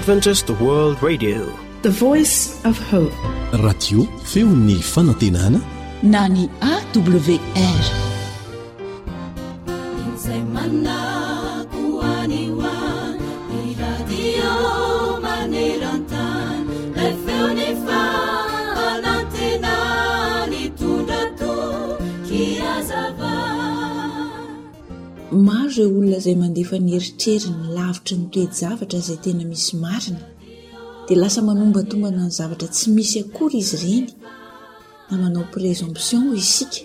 Adventist World Radio. The Voice of Hope. Radio feon'ny fanantenana na ny AWR. Izay manako any ho any, ny radio maneran-tany, ilay feon'ny fanantenana nitondra toky hazava. Maro ireo olona izay mandefa ny eritreriny lavitry ny toe-javatra izay tena misy marina, dia lasa manombatombana ny zavatra tsy misy akory izy ireny, na manao présomption hoy isika,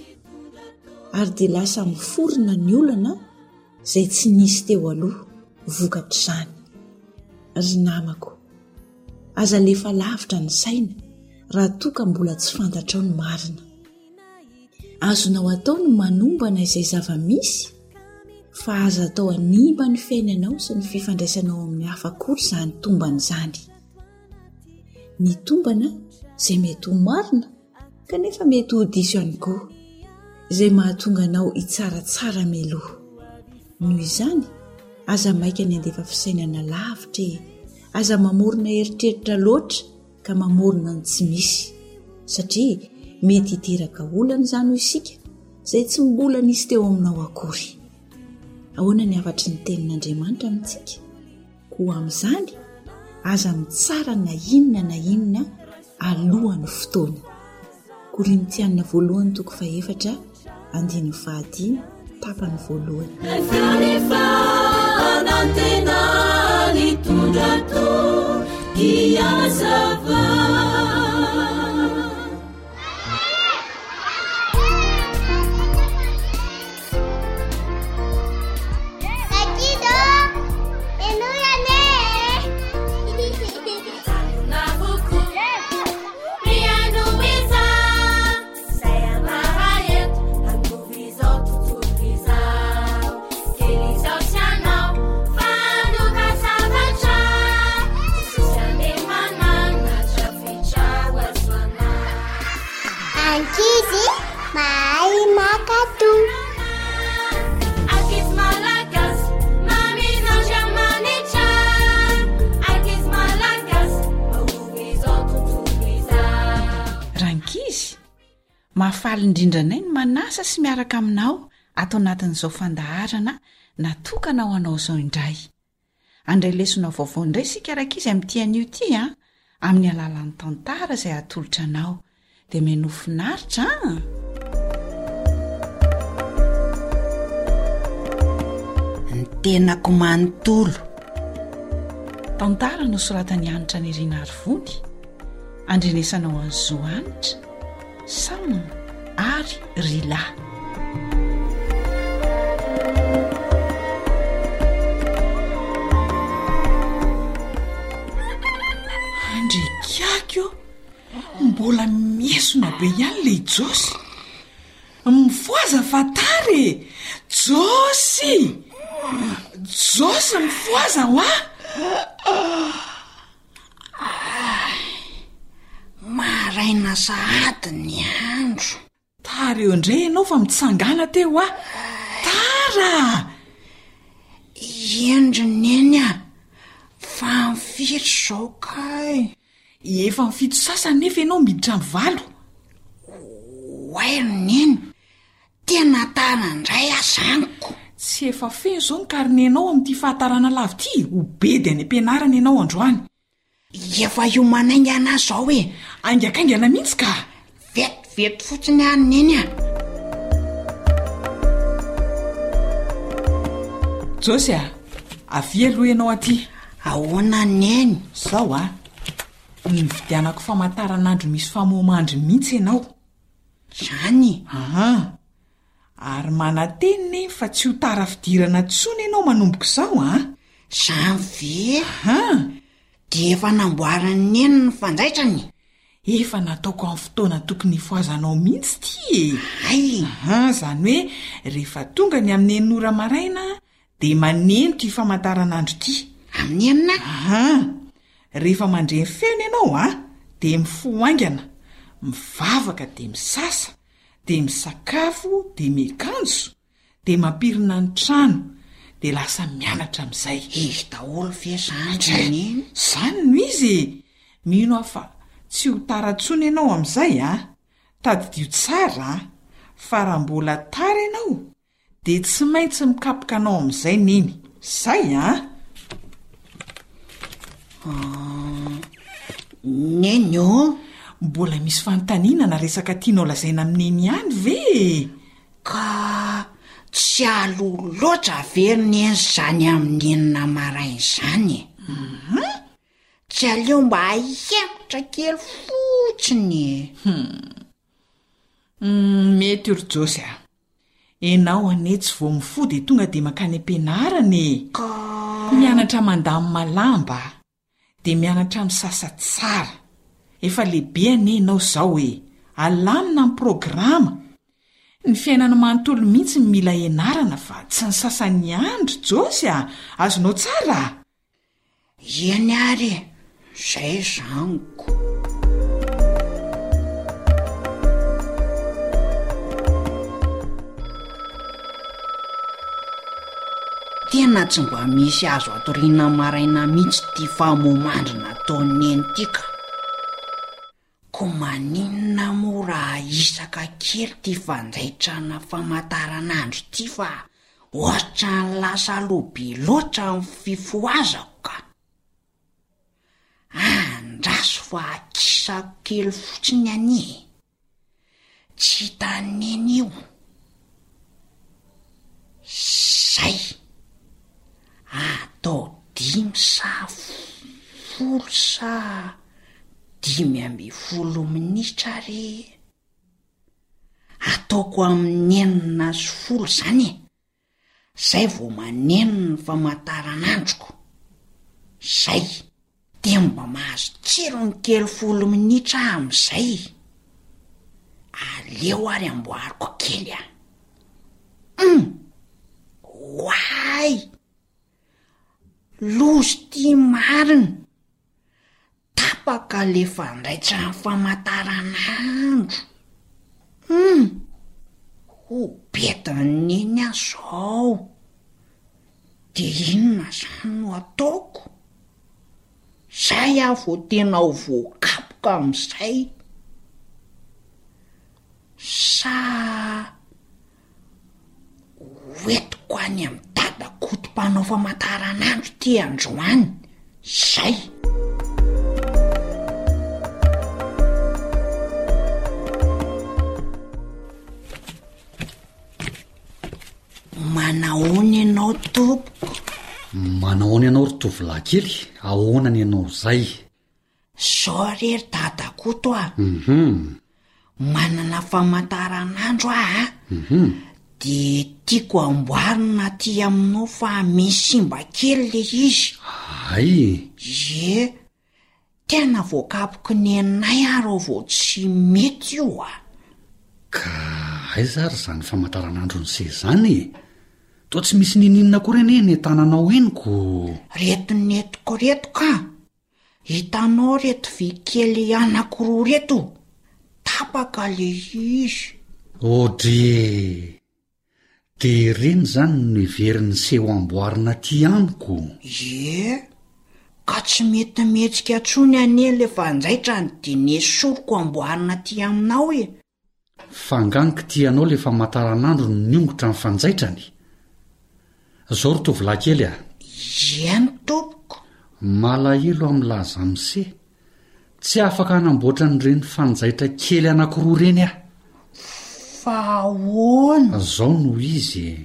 ary dia lasa miforona ny olana izay tsy nisy teo aloha vokatr'izany. Ry namako, aza alefa lavitra ny saina raha toa ka mbola tsy fantatrao ny marina. Azonao atao ny manombana izay zava-misy fa aza atao hanimba ny fiainanao sy ny fifandraisanao amin'ny hafa akory izany tombana izany. Ny tombana izay mety ho marina kanefa mety ho diso ihany koa, izay mahatonga anao hitsaratsara mialoha. Noho izany, aza maika ny handefa fisainana lavitra e! Aza mamorona eritreritra loatra ka mamorona ny tsy misy satria mety hiteraka olana izany hoy isika izay tsy mbola nisy teo aminao akory. Ahoana ny hafatry ny tenin'Andriamanitra amintsika? Koa amin'izany, aza mitsara na inona na inona alohan'ny fotoana. Korintiana voalohany toko fahefatra andininy fahadimy tapany voalohany. Ankizy mahay mankatò. Ankizy malagasy, mamin'Andriamanitra. Ankizy malagasy, mahoby izao tontolo izao. Rankizy, mahafaly indrindra anay ny manasa sy miaraka aminao ato anatin'izao fandaharana natokana ho anao izao indray. Handray lesona vaovao indray isika rankizy amin'ity anio ity an, amin'ny alalan'ny tantara izay atolotra anao. Dia mihainoa finaritra an! Ny tenako manontolo. Tantara nosoratan'i Hanitra Nirina Arivony, andrenesanao an'i Zo Hanitra. Sam ary Rila. Andriakiaky ô! Mbola miesona be ihany le i Josy. Mifohaza fa tara e! Josy! Josy mifohaza hoa! Maraina sahady ny andro. Tara eo indray ianao fa mitsangàna teo hoa. Tara! Eny ry Neny a! Fa amin'ny firy izao kay? Efa amin'ny fito sasany nefa ianao miditra amin'ny valo. Oay ry Neny, Tena tara indray aho zany ko! Tsy efa feno izao ny karnenao amin'ity fahatarana lava ity? Ho bedy any am-pianarana ianao androany. Efa hiomana haingana aho izao e! Haingakaingana mihitsy ka! Vetivety fotsiny aho Neny a! Josy a! Avia aloha ianao aty. Ahoana Neny? Izao a! Nividianako famantaranandro misy famoha-mandry mihitsy ianao. Zany? Aa! Ary manantena Neny fa tsy ho tara fidirana intsony ianao manomboka izao an! Zany ve? Aa! Dia efa namboarin'i Neny ny fanjaitrany? Efa nataoko amin'ny fotoana tokony hifohazanao mihitsy ity e! Hay! Aa! Izany hoe rehefa tonga ny amin'ny enina ora maraina dia maneno ity famantaranandro ity. Amin'ny enina? Aa! Rehefa mandre ny feony ianao a, dia mifoha haingana, mivavaka dia misasa, dia misakafo dia miakanjo, dia mampirina ny trano, Dia lasa mianatra amin'izay. Izy daholo ve izany ry Neny? Izany no izy e! Mino aho fa tsy ho tara intsony ianao amin'izay an! Tadidio tsara an! Fa raha mbola tara ianao dia tsy maintsy mikapoka anao amin'izay Neny. Izay an! Neny ô! Mbola misy fanontaniana na resaka tianao lazaina amin'i Neny ihany ve e? Ka tsy aloha loatra ve ry Neny izany amin'ny enina maraina izany e? Tsy aleo mba ahemotra kely fotsiny e? Hum, mety io ry Josy a! Enao anie tsy vao mifoha dia tonga dia mankany am-pianarana e! Ka. Mianatra mandamina lamba. Dia mianatra misasa tsara. Efa lehibe anie ianao izao e! Alamina ny programa! Ny fiainana manontolo mihitsy no mila ianarana fa tsy ny sasany ihany ry Josy a! Azonao tsara? Eny ary e! Izay zaniko. Tena tsy mba misy azo atoriana maraina mihitsy ity famoha-mandry nataon'i Neny ity ka. Koa maninona moa raha ahisaka kely ity fanjaitrana famantaranandro ity fa ohatran'ny lasa aloha be loatra ny fifohazako ka. Andraso fa akisako kely fotsiny anie e. Tsy hitan'i Neny io. Zay. Atao dimy sa folo sa 15 minitra re. Ataoko amin'ny 6:10 zany e. Zay vao maneno ny famantaranandroko. Zay. Dia mba mahazo tsirony kely folo minitra aho amin'izay. Aleo ary amboariko kely a. Hum! Oay! Loza ity marina! Tapaka le fandraitran'ny famataranandro. Hum! Ho betan'i Neny aho zao. De inona zany no ataoko? Zay aho vao tena ho voakapoka amin'izay. Sa Hoentiko any amin'i Dada Koto mpanao famantaranandro ity androany. Zay! Manahoana ianao tompoko? Manahoana ianao ry tovolahy kely, ahoana ny anao izay? Zao re ry Dadakoto a! Manana famantaranandro aho a! De tiako amboarina aty aminao fa misy simba kely le izy. Hay! Ie, tena voakapoky nenay aho raha vao tsy mety io a! Ka aiza ary izany famantaranandron'ise izany e? Toa tsy misy ninininona akory anie eny an-tananao eny ko! Reto nentiko reto ka! Hitanao reto vy kely anakiroa reto? Tapaka le izy. Audrey! De ireny izany no heverin'ny seho amboarina aty amiko? Ie, ka tsy mety mihetsika intsony anie le fanjaitrany de nesoriko amboarina aty aminao e! Fa angaha ny kitihanao le famataranandro no niongotra ny fanjaitrany? Zao ry tovolahy kely a! Eny tompoko. Malahelo aho milaza amse, tsy afaka hanamboatra an'ireny fanjaitra kely anakiroa ireny aho. Fa ahoana? Zao no izy e!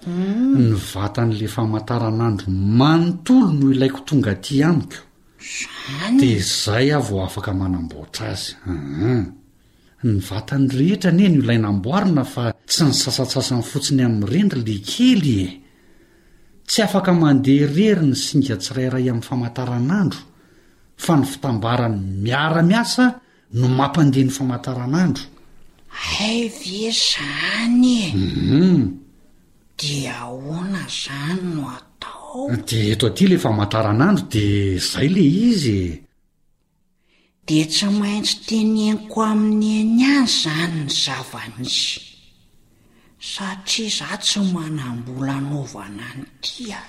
Ny vatan'le famataranandro manontolo no ilaiko tonga aty amiko. Zany? Dia zay aho vao afaka manamboatra azy. Hum. Ny vatany rehetra anie no ilaina amboarina fa tsy ny sasantsasany fotsiny amin'ireny ry lekely e! Tsy afaka mandeha irery ny singa tsirairay amin'ny famataranandro fa ny fitambarany miara-miasa no mampandeha ny famataranandro. Hay ve zany e! Hum. Dia ahoana zany no atao? Dia eto aty le famataranandro dia zay le izy e! Dia tsy maintsy teneniko amin'i Neny ihany izany ny zava-nisy. Satria za tsy manam-bola anaovana an'ity a!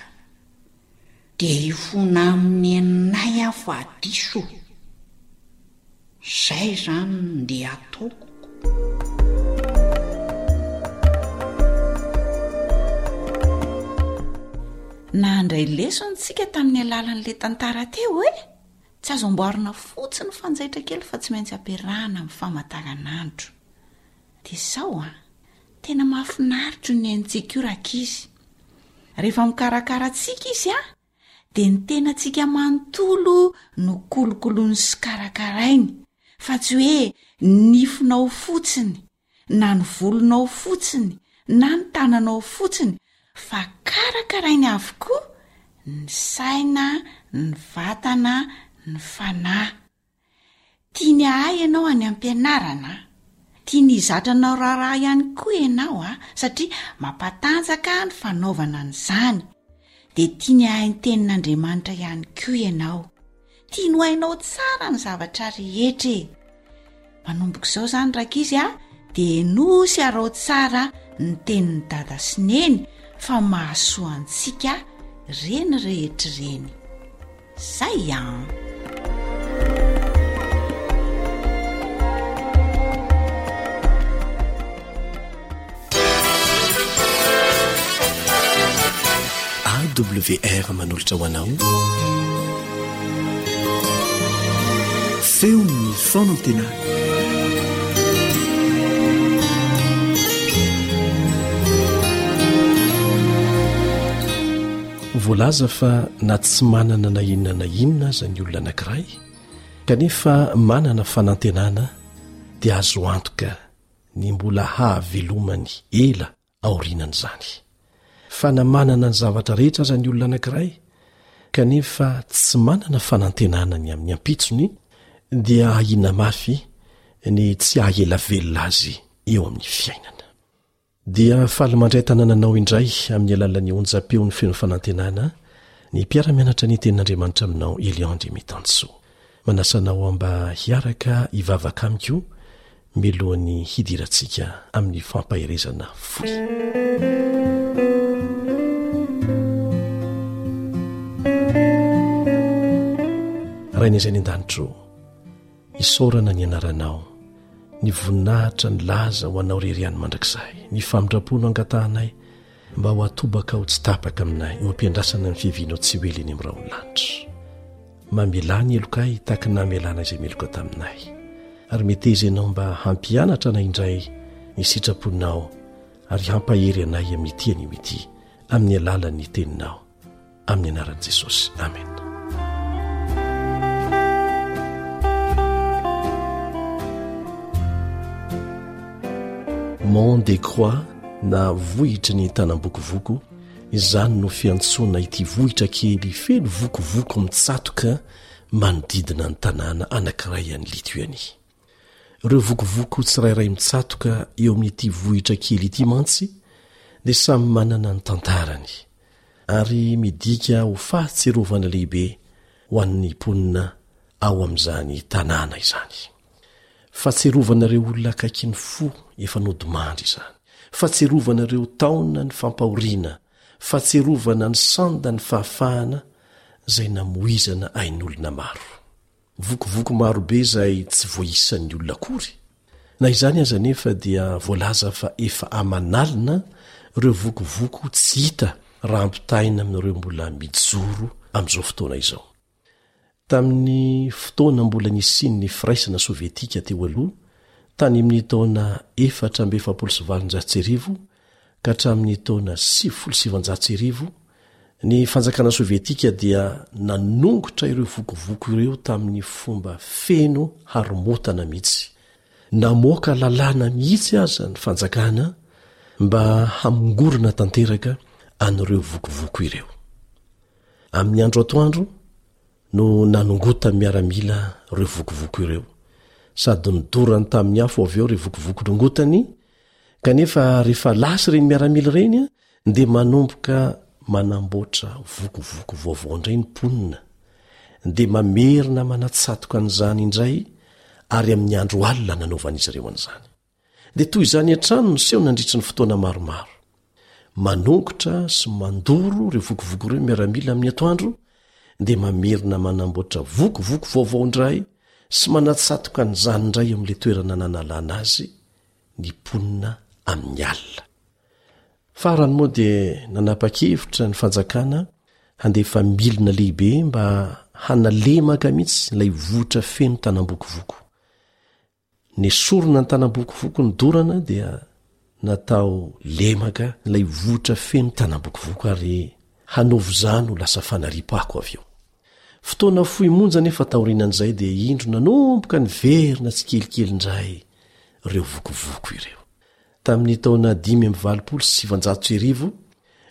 Dia hifona amin'i neninay aho fa diso. Zay zany no ndeha ataoko. Nandray lesona tsika tamin'ny alalan'ilay tantara teo e! Tsy azo amboarina fotsiny ny fanjaitra kely fa tsy maintsy ampiarahana amin'ny famantaranandro. Dia izao an, tena mahafinaritra io nenintsika io rankizy. Rehefa mikarakara antsika izy an, dia ny tenantsika manontolo no kolokoloiny sy karakarainy, fa tsy hoe ny nifinao fotsiny, na ny volonao fotsiny, na ny tananao fotsiny, fa karakarainy avokoa ny saina, ny vatana, ny fanahy. Tiany hahay ianao any am-pianarana, tiany hizatra anao raharaha ihany koa ianao a, satria mampatanjaka ny fanaovana an'izany. Dia tiany hahay ny tenin'Andriamanitra ihany koa ianao. Tiany ho hainao tsara ny zavatra rehetra e. Manomboka izao izany rankizy a, dia henoy sy araho tsara ny tenin'i Dada sy Neny fa mahasoa antsika ireny rehetra ireny. Zay an! AWR manolotra ho anao Feon'ny fanantenana. Voalaza fa na tsy manana na inona na inona aza ny olona anankiray kanefa manana fanantenana dia azo antoka ny mbola hahavelomany ela aorianan'izany. Fa na manana ny zavatra rehetra aza ny olona anankiray kanefa tsy manana fanantenana ny amin'ny ampitsony dia ahiana mafy ny tsy haha-ela velona azy eo amin'ny fiainana. Dia faly mandray tanana anao indray amin'ny alalan'ny onjam-peon'ny feno fanantenana ny mpiara-mianatra ny tenin'Andriamanitra aminao Elion Andriamitansoa. Manasa anao mba hiaraka hivavaka amiko mialohan'ny hidirantsika amin'ny fampaherezana fohy. Rainay izay any an-danitra ô, Isaorana ny anaranao, ny voninahitra, ny laza ho anao rery ihany mandrakizay. Ny famindram-po no angatahanay mba ho atobakao tsy tapaka aminay eo am-piandrasana ny fiavianao tsy ho ela eny amin'ny rahon'ny lanitra. Mamelà ny helokay tahaka ny namelana izay meloka taminay. Ary meteza ianao mba hampianatra anay indray ny sitraponao ary hampahery anay amin'ity anio ity amin'ny alalan'ny teninao. Amin'ny anaran'i Jesosy. Amena. Mont des Croix na vohitry ny tanam-bokovoko, izany no fiantsoana ity vohitra kely feno vokovoko mitsatoka manodidina ny tanàna anankiray any Lituanie. Ireo vokovoko tsirairay mitsatoka eo amin'ity vohitra kely ity mantsy dia samy manana ny tantarany ary midika ho fahatsiarovana lehibe ho an'ny mponina ao amin'izany tanàna izany. Fahatsiarovana ireo olona akaiky ny fo efa nodimandry izany, fahatsiarovana ireo taona ny fampahoriana, fahatsiarovana ny sanda ny fahafahana izay namoizana ain'olona maro. Vokovoko marobe izay tsy voaisan'ny olona akory. Na izany aza anefa dia voalaza fa efa aman'alina ireo vokovoko tsy hita raha ampitahaina amin'ireo mbola mijoro amin'izao fotoana izao. Tamin'ny fotoana mbola nisian'ny firaisana sovietika teo aloha, tany amin'ny taona 1844 ka hatramin'ny taona 1990, ny fanjakana sovietika dia nanongotra ireo vokovoko ireo tamin'ny fomba feno haromotana mihitsy. Namoaka lalàna mihitsy aza ny fanjakana mba hamongorana tanteraka an'ireo vokovoko ireo. Amin'ny andro atoandro no nanongotan'ny miaramila ireo vokovoko ireo, sady nodorany tamin'ny afo avy eo ireo vokovoko nongotany, kanefa rehefa lasa ireny miaramila ireny dia manomboka manamboatra vokovoko vaovao indray ny mponina, dia mamerina manatsatoka an'izany indray ary amin'ny andro alina nanaovan'izy ireo an'izany. Dia toy izany hatrany no niseho nandritry ny fotoana maromaro. Manongotra sy mandoro ireo vokovoko ireo ny miaramila amin'ny atoandro, dia mamerina manamboatra vokovoko vaovao indray sy manatsatoka an'izany indray eo amin'ilay toerana nanalana azy ny mponina amin'ny alina. Farany moa dia nanapa-kevitra ny fanjakana handefa milina lehibe mba hanalemaka mihitsy ilay vohitra feno tanam-bokovoko. Nesorina ny tanam-bokovoko nodorana dia natao lemaka ilay vohitra feno tanam-bokovoko ary hanovo izany ho lasa fanariam-pako avy eo. Fotoana fohy monja anefa taorianan'izay dia indro nanomboka niverina tsikelikely indray ireo vokovoko ireo. Tamin'ny taona 1985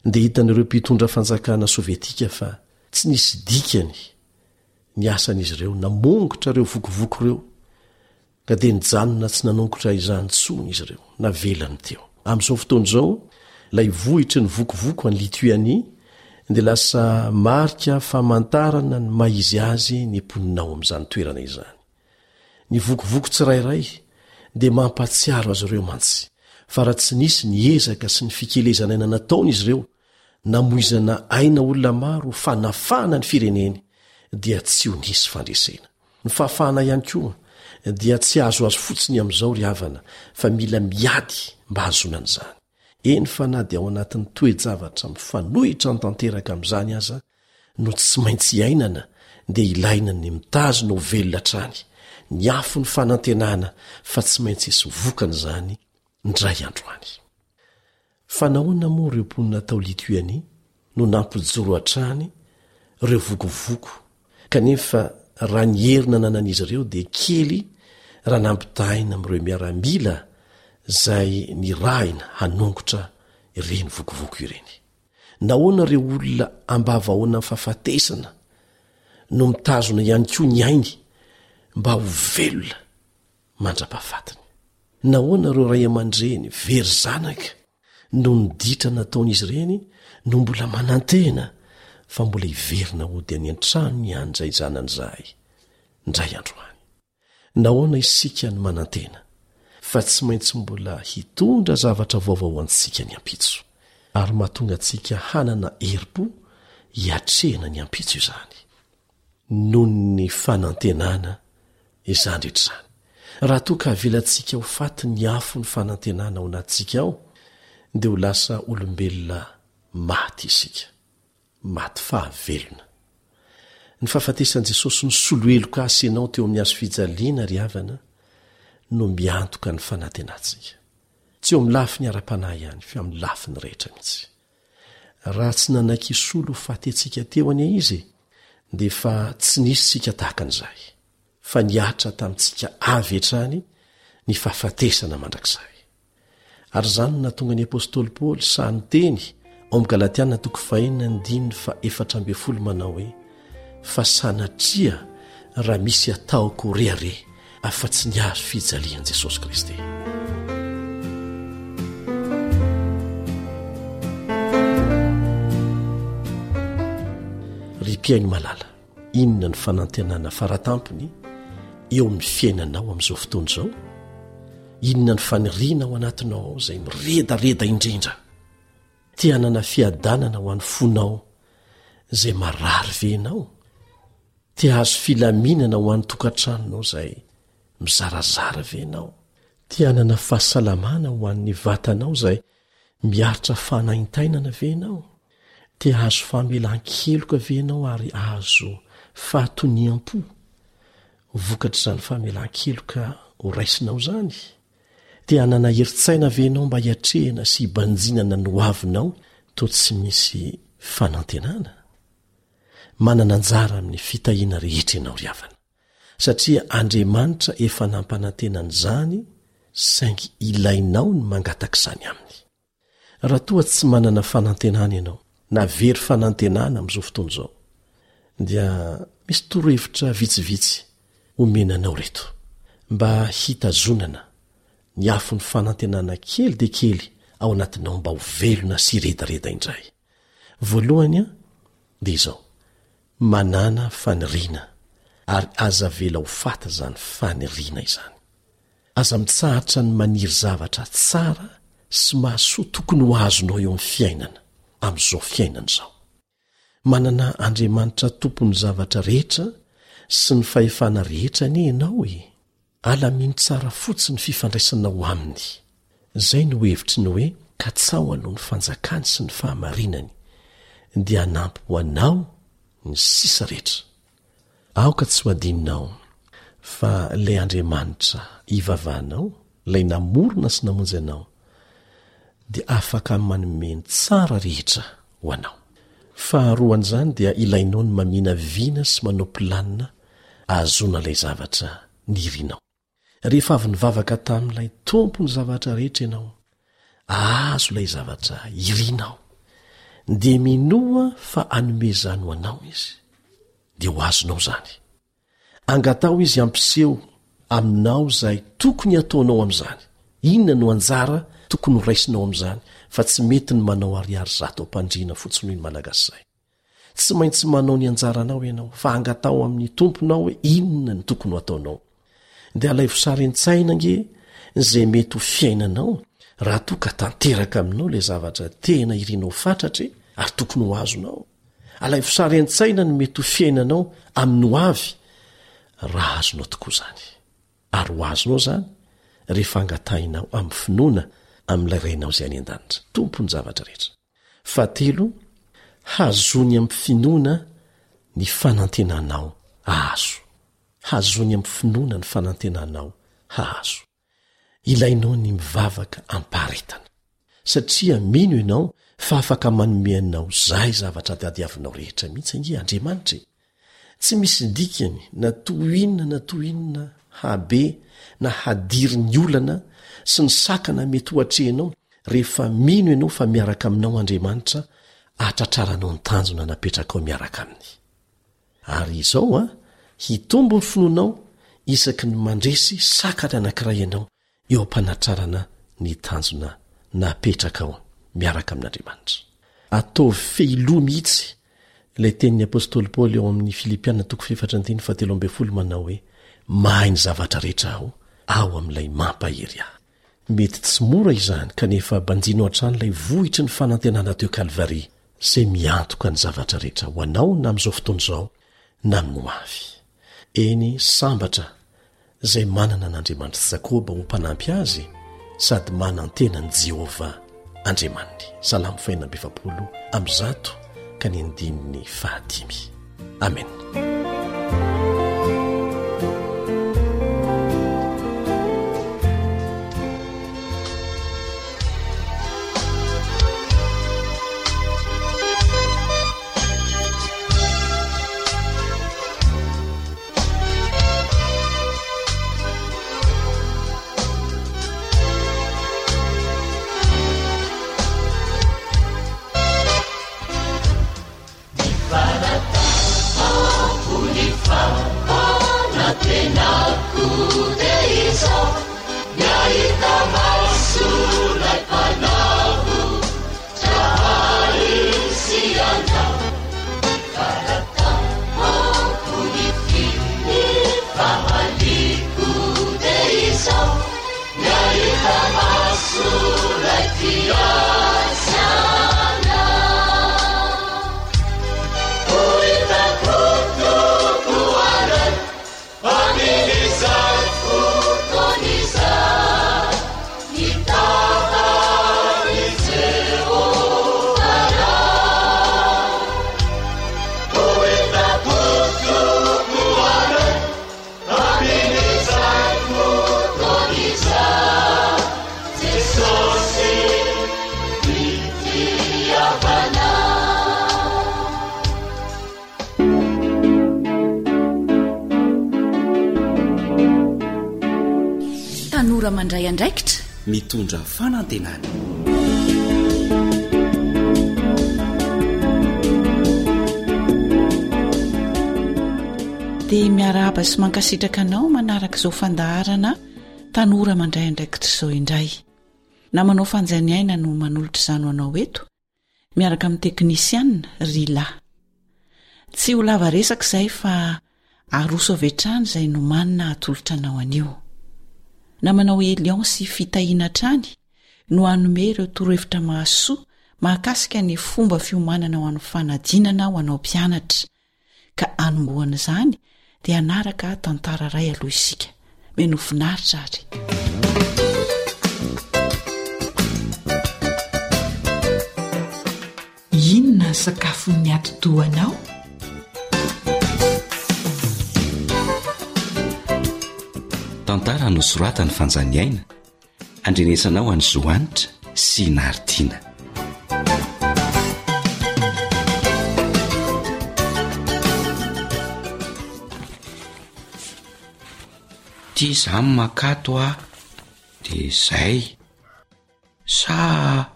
dia hitan'ireo mpitondra fanjakana sovietika fa tsy nisy dikany ny asan'izy ireo namongotra ireo vokovoko ireo ka dia nijanona tsy nanongotra izany intsony izy ireo, navelany teo. Amin'izao fotoana izao, ilay vohitry ny vokovoko any Lituanie dia lasa marika famantarana ny maha izy azy ny mponina ao amin'izany toerana izany. Ny vokovoko tsirairay dia mampahatsiaro azy ireo mantsy fa raha tsy nisy ny ezaka sy ny fikelezan'aina nataon'izy ireo namoizana aina olona maro ho fanafahana ny fireneny dia tsy ho nisy fandresena. Ny fahafahana ihany koa dia tsy azoazo fotsiny amin'izao ry havana fa mila miady mba hahazoana an'izany. Eny fa na dia ao anatin'ny toe-javatra mifanohitra tanteraka amin'izany aza no tsy maintsy iainana dia ilaina ny mitazona ho velona hatrany ny afon'ny fanantenana fa tsy maintsy hisy vokany izany indray andro any. Fa nahoana moa ireo mponina tao Lituanie no nampijoro hatrany ireo vokovoko kanefa raha ny hery nananan'izy ireo dia kely raha nampitahaina amin'ireo miaramila izay nirahina hanongotra ireny vokovoko ireny? Nahoana ireo olona ambavahoanan'ny fahafatesana no mitazona ihany koa ny ainy mba ho velona mandra-pahafatiny? Nahoana ireo ray aman-dreny very zanaka noho ny ditra nataon'izy ireny no mbola manantena fa mbola hiverina hody any an-tranony ihany izay zanany izahay indray andro any? Nahoana isika no manantena fa tsy maintsy mbola hitondra zavatra vaovao ho antsika ny ampitso, ary mahatonga antsika hanana herim-po hiatrehana ny ampitso izany? Noho ny fanantenana izany rehetra izany. Raha toa ka avelantsika ho faty ny afon'ny fanantenana ao anatintsika ao, dia ho lasa olombelona maty isika. maty fahavelona. Ny fahafatesan'i Jesosy nisolo heloka ahy sy ianao teo amin'ny hazo fijaliana, ry havana, no miantoka ny fanantenantsika. Tsy eo amin'ny lafiny ara-panahy ihany, fa amin'ny lafiny rehetra mihitsy. Raha tsy nanaiky hisolo ho faty antsika teo anie Izy, dia efa tsy nisy isika tahaka an'izay, fa nihatra tamintsika avy hatrany ny fahafatesana mandrakizay. Ary izany no nahatonga ny apostoly Paoly sahy niteny ao amin'ny Galatiana toko fahenina andininy faha-14 manao hoe, Fa sanatria raha misy ataoko ho rehareha afa-tsy ny hazo fijalian'i Jesosy Kristy. Ry mpihaino malala, Inona ny fanantenana faratampony eo amin'ny fiainanao amin'izao fotoana izao? Inona ny faniriana ao anatinao ao izay miredareda indrindra? Te hanana fiadanana ho an'ny fonao izay marary ve ianao? Te hahazo filaminana ho an'ny tokantranonao izay mizarazara ve ianao? Te hanana fahasalamana ho an'ny vatanao izay miaritra fanaintainana ve ianao? Te hahazo famelan-keloka ve ianao ary hahazo fahatoniam-po vokatr'izany famelan-keloka horaisinao izany? Te hanana herin-tsaina ve ianao mba hiatrehana sy hibanjinana ny hoavinao toa tsy misy fanantenana? Manana anjara amin'ny fitahiana rehetra ianao ry havana, satria Andriamanitra efa nampanantena an'izany saingy ilainao ny mangataka izany aminy. Raha toa tsy manana fanantenana ianao, na very fanantenana amin'izao fotoana izao, dia misy torohevitra vitsivitsy omena anao ireto, mba hitazonana ny afon'ny fanantenana kely dia kely ao anatinao mba ho velona sy hiredareda indray. Voalohany dia izao, manàna faniriana ary aza avela ho faty izany faniriana izany. Aza mitsahatra ny maniry zavatra tsara sy mahasoa tokony ho azonao eo amin'ny fiainana, amin'izao fiainana izao. Manana Andriamanitra Tompon'ny zavatra rehetra sy ny fahefana rehetra anie ianao e! Alamino tsara fotsiny ny fifandraisanao aminy. Izay no hevitry ny hoe katsaho aloha ny fanjakany sy ny fahamarinany, dia hanampy ho anao ny sisa rehetra. Aoka tsy ho adinonao fa ilay Andriamanitra ivavahanao, ilay namorona sy namonjy anao, dia afaka manome ny tsara rehetra ho anao. Faharoan'izany dia ilainao ny maminavina sy manao planina ahazoana ilay zavatra nirinao. Rehefa avy nivavaka tamin'ilay Tompon'ny zavatra rehetra ianao, ahazo ilay zavatra irinao, dia minoa fa hanome izany ho anao Izy, dia ho azonao izany. Angataho Izy hampiseho aminao izay tokony hataonao amin'izany. Inona no anjara tokony horaisinao amin'izany, fa tsy mety ny manao ariary zato am-pandriana fotsiny hoy ny Malagasy izay. Tsy maintsy manao ny anjaranao ianao, fa angataho amin'ny Tomponao hoe inona no tokony ho ataonao. Dia alaivo sary an-tsaina ange izay mety ho fiainanao raha toa ka tanteraka aminao ilay zavatra tena irinao fatratra e, ary tokony ho azonao. Alaivo sary an-tsaina ny mety ho fiainanao amin'ny ho avy raha azonao tokoa izany. Ary ho azonao izany rehefa angatahinao amin'ny finoana amin'ilay Rainao izay any an-danitra, Tompon'ny zavatra rehetra. Fahatelo, hazony amin'ny finoana ny fanantenanao hahazo. Hazony amin'ny finoana ny fanantenanao hahazo. Ilainao ny mivavaka am-paharetana, satria mino ianao fa afaka manome anao izay zavatra tadiavinao rehetra mihitsy ange Andriamanitra e! Tsy misy dikany na toy inona na toy inona habe na hadiry ny olana sy ny sakana mety ho atrehinao rehefa mino ianao fa miaraka aminao Andriamanitra hahatratraranao ny tanjona napetrakao miaraka Aminy. Ary izao an, hitombo ny finoanao isaky ny mandresy sakana anankiray ianao eo am-panatrarana ny tanjona napetrakao miaraka amin'Andriamanitra. Ataovy fehiloha mihitsy ilay tenin'ny apostoly Paoly ao amin'ny Filipiana toko fahefatra andininy fahatelo ambin'ny folo manao hoe, Mahay ny zavatra rehetra aho ao amin'ilay mampahery ahy. Mety tsy mora izany kanefa banjino hatrany ilay vohitry ny fanantenana teo Kalvary izay miantoka ny zavatra rehetra ho anao na amin'izao fotoana izao na amin'ny ho avy. Eny, sambatra izay manana an'Andriamanitr'i Jakoba ho mpanampy azy sady manantena an'i Jehovah Andriamaniny. Salamo 146 ka ny andininy fahadimy. Amena. Tanora mandray andraikitra. Mitondra fanantenana. Dia miarahaba sy mankasitraka anao manaraka izao fandaharana Tanora mandray andraikitra izao indray. Namanao Fanjaniaina no manolotra izany ho anao eto, miaraka amin'ny teknisianina Rila. Tsy ho lava resaka izay fa aroso avy hatrany izay nomanina hatolotra anao anio. Namanao Elion sy Fitahiana hatrany no hanome ireo torohevitra mahasoa mahakasika ny fomba fiomanana ho an'ny fanadinana ho anao mpianatra. Ka hanombohana izany dia hanaraka tantara iray aloha isika. Mino finaritra ary. Inona ny sakafon'ny atidohanao? Tantara nosoratan'i Fanjaniaina, andrenesanao an'i Zohanitra sy Naritiana. Ty za makato a, de zay. Sa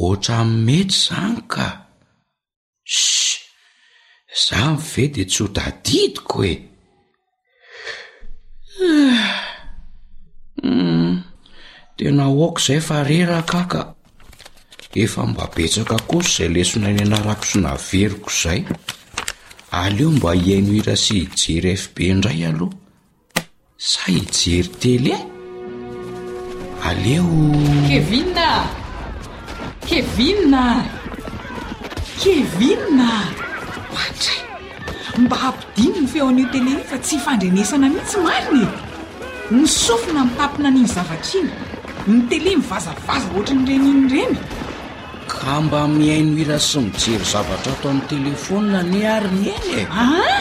Ohatran'ny mety zany ka! Ssy! Zany ve de tsy ho tadidiko e! Humm! Tena ok zay fa reraka aho ka! Efa mba betsaka kosa izay lesona nianarako sy naveriko izay. Aleo mba hihaino hira sy hijery FB indray aloha. Sa hijery télé? Aleo. Kevin a! Kevin a! Kevin a! Oadray! Mba ampidino ny feon'io télé io fa tsy ifandrenesana mihitsy marina e! Ny sofina mitapina an'iny zavatra iny, ny télé mivazavaza ohatran'ireny iny ireny. Ka mba mihaino hira sy mijery zavatra ato amin'ny telefaonina anie ary Neny e! Aa!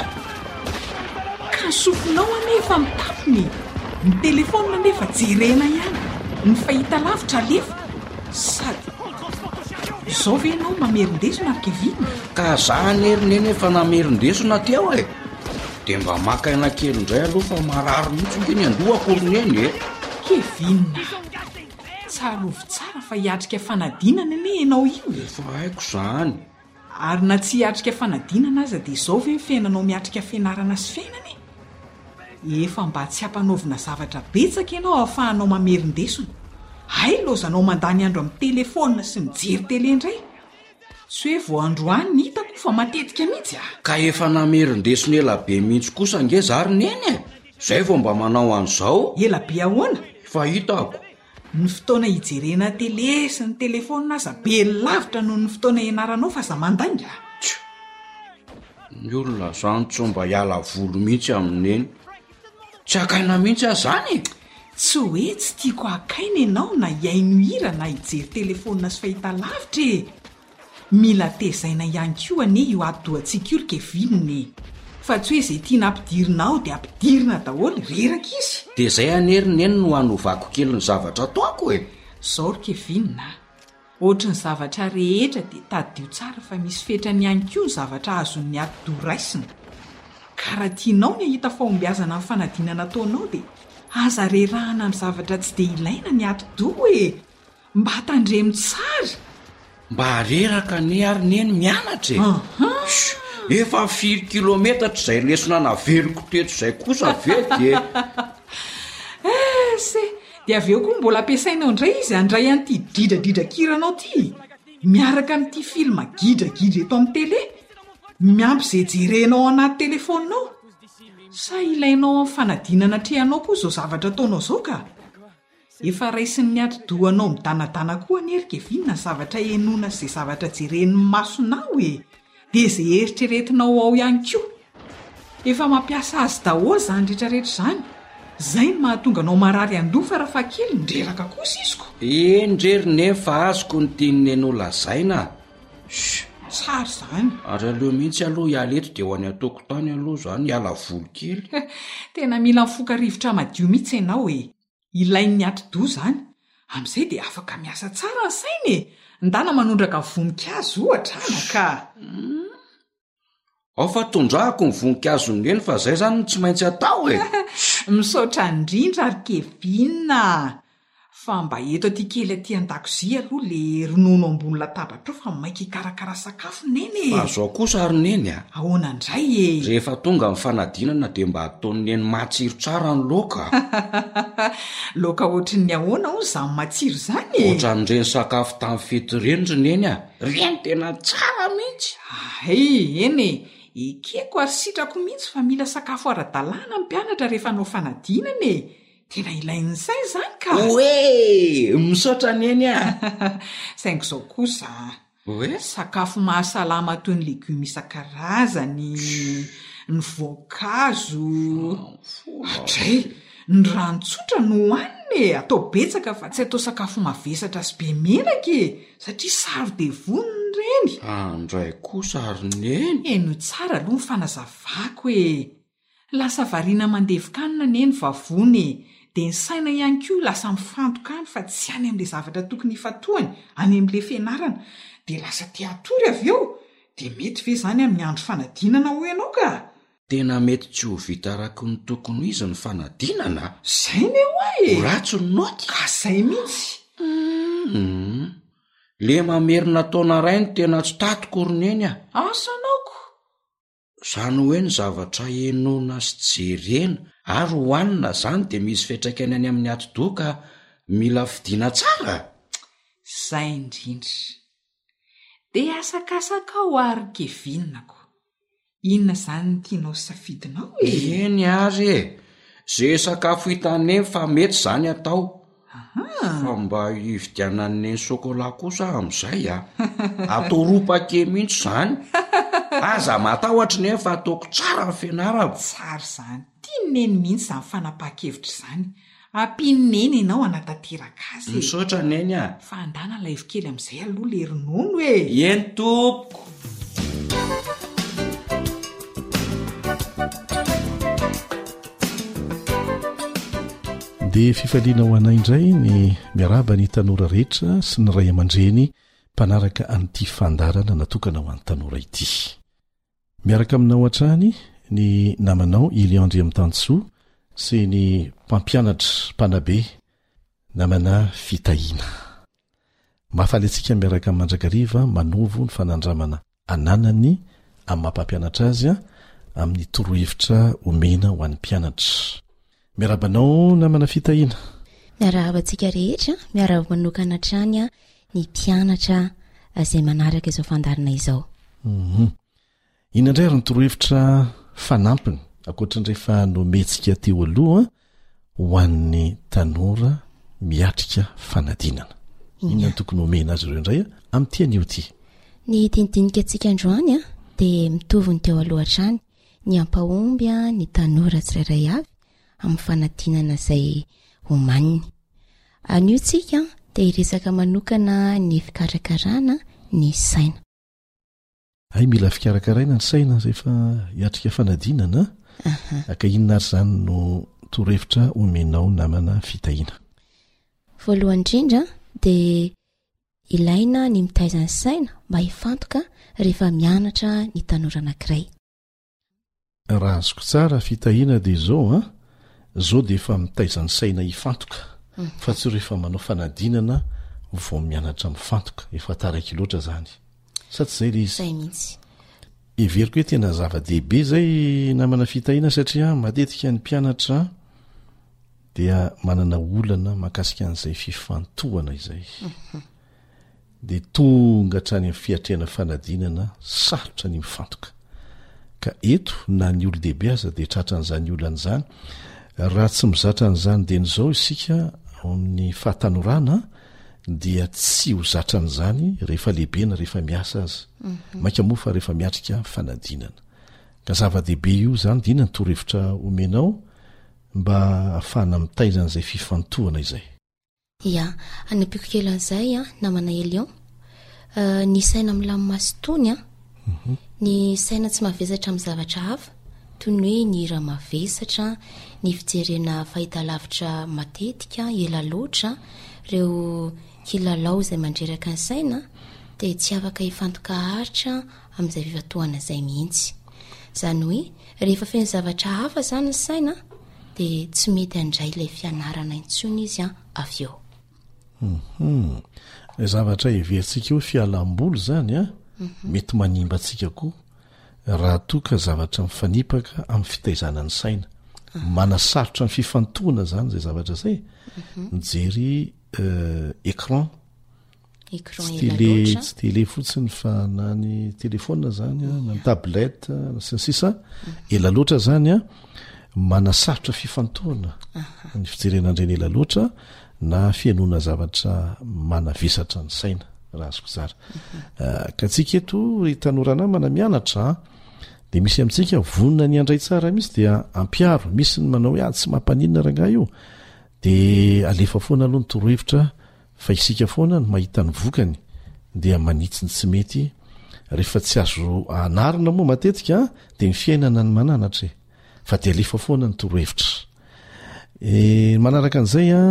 Ka ny sofinao anie efa mitapina e! Ny telefaonina anefa jerena ihany, ny fahitalavitra alefa, sady izao ve ianao mamerin-desona ry Kevin? Ka za anie ry Neny efa namerin-desona teo e! Dia mba maka aina kely indray aloha fa marary mihitsy ange ny andohako ry Neny e! Kevin a! Tsarovy tsara fa hiatrika fanadinana anie ianao io e! Efa haiko izany. Ary na tsy hiatrika fanadinana aza dia izao ve ny fiainanao miatrika fianarana sy fiainana e? Efa mba tsy ampanaovina zavatra betsaka ianao ahafahanao mamerin-desona. Hay laozanao mandany andro amin'ny telephone sy mijery tele indray. Tsy hoe vao androany ny hitako fa matetika mihitsy a! Ka efa namerin-desona ela be mihitsy kosa ange za ry neny e! Zay vao mba manao an'izao. Ela be ahoana? Efa hitako. Ny fotoana hijerena tele sy ny telefaonina aza be lavitra noho ny fotoana ianaranao fa aza mandainga a! Tsia! Ny olona zany tsy mba hiala voly mihitsy amin'i Neny. Tsy hakaina mihitsy aho zany e! Tsy hoe tsy tiako hakaina ianao na hihaino hira na hijery telefaonina sy fahitalavitra e! Mila tezaina ihany koa anie io atidohantsika io ry Kevin e! Fa tsy hoe izay tiana ampidirina ao dia ampidirina daholo, reraka izy! Dia izay anie ry Neny no hanovako kely ny zavatra ataoko e! Zao ry Kevin a! Ohatry ny zavatra rehetra dia tadidio tsara fa misy fetrany ihany koa ny zavatra azon'ny atidoha raisina. Ka raha tianao ny hahita fahombiazana amin'ny fanadinana ataonao dia aza rerahana amin'ny zavatra tsy dia ilaina ny atidoha e! Mba tandremo tsara. Mba reraka anie ary neny mianatra e! Shh! Efa firy kilometatra izay lesona naveriko teto izay kosa ve dia. Ese! Dia avy eo koa mbola ampiasainao indray izy handray an'ity dridradridran-kiranao ity, miaraka amin'ity film gidragidra eto amin'ny télé, miampy izay jerenao ao anaty telefaoninao. Sa ilainao amin'ny fanadinana atrehanao koa izao zavatra ataonao izao ka? Efa raisin'ny atidohanao midanadana koa anie ry Kevin ny zavatra henoina sy izay zavatra jeren'ny masonao e! Dia izay eritreretinao ao ihany koa. Efa mampiasa azy daholo izany retraretra izany. Izay no mahatonga anao marary andoha farafahakeliny, reraka kosa izy ko! Eny re ry Neny fa azoko ny tian'i Neny ho lazaina a! Shh! Tsara izany. Ary aleo mihitsy aloha hiala eto dia ho any an-tokotany aloha izany hiala voly kely. Tena mila mifoka rivotra madio mihitsy ianao e! Ilain'ny atidoha izany. Amin'izay dia afaka miasa tsara ny saina e! Ndana manondraka voninkazo ohatra anaka a! Ao fa tondrahako ny voninkazon'i Neny fa zay zany no tsy maintsy atao e! Misaotra indrindra ry Kevin a! Fa mba eto aty kely aty an-dakozia aloha le ronono ambony latabatra ao fa maika hikarakara sakafo Neny e! Fa zao kosa ry Neny a! Ahoana indray e? Rehefa tonga ny fanadinana dia mba ataon'i Neny matsiro tsara ny laoka a! Laoka ohatrin'ny ahoana hono izany matsiro izany e? Ohatran'ireny sakafo tamin'ny fety ireny ry Neny a! Ireny tena tsara mihitsy! Hay, eny e! Ekeko ary sitrako mihitsy fa mila sakafo ara-dalàna ny mpianatra rehefa hanao fanadinana e! Tena ilain'ny saina izany ka! Oe! Misaotra Neny a! Saingy izao kosa a! Oe? Sakafo mahasalama toy ny legioma isan-karazany, ny voankazo, hatray! Ny rano tsotra no hohanina e! Atao betsaka fa tsy atao sakafo mavesatra sy be menaka e! Satria saro-devonina ireny! Andray kosa ry Neny! Henoy tsara aloha ny fanazavako e! Lasa variana mandevin-kanina anie ny vavony e! Dia ny saina ihany koa lasa mifantoka any fa tsy any amin'ilay zavatra tokony hifantohany, any amin'ilay fianarana. Dia lasa te hatory avy eo! Dia mety ve izany amin'ny andro fanadinana hoy ianao ka? Tena mety tsy ho vita araka ny tokony ho izy ny fanadinana a! Zay ne hoa e! Ho ratsy ny naoty? Ka zay mihitsy! Humm! Le mamerina taona iray no tena tsy tatiko ry Neny a! Asa anaoko! Zany hoe ny zavatra henoina sy jerena ary hohanina zany dia misy fiantraikany any amin'ny atidoha ka mila fidiana tsara? Zay indrindra. Dia asakasakao ary Kevin-ko. Inona izany ny tianao safidinao e? Eny ary e! Ze sakafo hitan'i Neny fa mety zany atao. Fa mba hividianan'i Neny chocolat kosa aho amin'izay a! Atao roa paquet mihitsy izany. Aza matahotra Neny fa ataoko tsara ny fianarako. Tsara izany. Tian'i Neny mihitsy izany fanapahan-kevitra izany. Ampian'i Neny ianao hanatanteraka azy e! Misaotra Neny a! Fa andana alaivo kely amin'izay aloha le ronono e! Eny tompoko! Dia fifaliana ho anay indray ny miarahaba ny tanora rehetra sy ny ray aman-dreny mpanaraka an'ity fandaharana natokana ho an'ny tanora ity. Miaraka aminao hatrany ny namanao Ilian Andriamitansoa sy ny mpampianatra mpanabe namana Fitahiana. Mahafaly antsika miaraka mandrakariva manovo ny fanandramana ananany amin'ny maha mpampianatra azy amin'ny torohevitra omena ho an'ny mpianatra. Miarahaba anao namana Fitahiana. Miarahaba antsika rehetra, miarahaba manokana hatrany ny mpianatra izay manaraka izao fandaharana izao. Mhm. Inona indray ary ny torohevitra fanampiny ankoatra ny rehefa nomentsika teo aloha ho an'ny tanora miatrika fanadinana? Inona no tokony homena azy ireo indray amin'ity anio ity? Ny dinidinika antsika androany dia mitovy ny teo aloha hatrany, ny hampahomby ny tanora tsirairay avy amin'ny fanadinana izay homaniny. Anio tsika dia hiresaka manokana ny fikarakarana ny saina. Hay mila fikarakaraina ny saina rehefa hiatrika fanadinana a! Ka inona ary izany no torohevitra omenao namana Fitahiana? Voalohany indrindra dia ilaina ny mitaiza ny saina mba hifantoka rehefa mianatra ny tanora anankiray. Raha azoko tsara Fitahiana dia izao an, izao dia efa mitaiza ny saina hifantoka fa tsy rehefa manao fanadinana vao mianatra mifantoka, efa taraiky loatra izany. Sa tsy izay ilay izy? Izay mihitsy. Heveriko hoe tena zava-dehibe izay namana Fitahiana satria matetika ny mpianatra dia manana olana mahakasika an'izay fifantohana izay. Dia tonga hatrany amin'ny fiatrehana fanadinana sarotra ny mifantoka. Ka eto na ny olon-dehibe aza dia tratran'izany olana izany. Raha tsy mizatra an'izany dieny izao isika ao amin'ny fahatanorana dia tsy ho zatra an'izany rehefa lehibe na rehefa miasa aza. Mainka moa fa rehefa miatrika fanadinana. Ka zava-dehibe io izany dia inona ny torohevitra omenao mba hahafahana mitaiza an'izay fifantohana izay? Ya, anampiako kely an'izay an, namana Elion. Ny saina milamina sy tony an, ny saina tsy mavesatra amin'ny zavatra hafa, toy ny hoe ny hira mavesatra, ny fijerena fahitalavitra matetika, ela loatra, ireo kilalao izay mandreraka ny saina, dia tsy afaka hifantoka haharitra amin'izay fifantohana izay mihitsy. Izany hoe, rehefa feno zavatra hafa izany ny saina, dia tsy mety handray ilay fianarana intsony izy an avy eo. Hum. Ilay zavatra heverintsika hoe fialam-boly izany an, mhm. mety manimba antsika koa raha toa ka zavatra mifanipaka amin'ny fitaizana ny saina. Ah. Manasarotra ny fifantohana izany izay zavatra izay. Mhm. Mijery euh, écran Écran Tsy ela télé, loatra. tsy télé fotsiny fa na ny téléphone zany a, na ny tablette sy ny sisa, ela loatra zany a. Manasarotra fifantohana ny fijerena an'ireny ela loatra na fihainoana zavatra manavesatra ny saina, raha azoko tsara. Mhm. Ka tsika eto ry tanora namana mianatra an, dia misy amintsika vonona ny handray tsara mihitsy dia ampiaro, misy ny manao hoe ah tsy mampaninona rangahy io, dia alefa foana aloha ny torohevitra fa isika foana no mahita ny vokany dia manitsy ny tsy mety rehefa tsy azo anarina moa matetika dia ny fiainana ny mananatra e fa dia alefa foana ny torohevitra e, manaraka an'izay a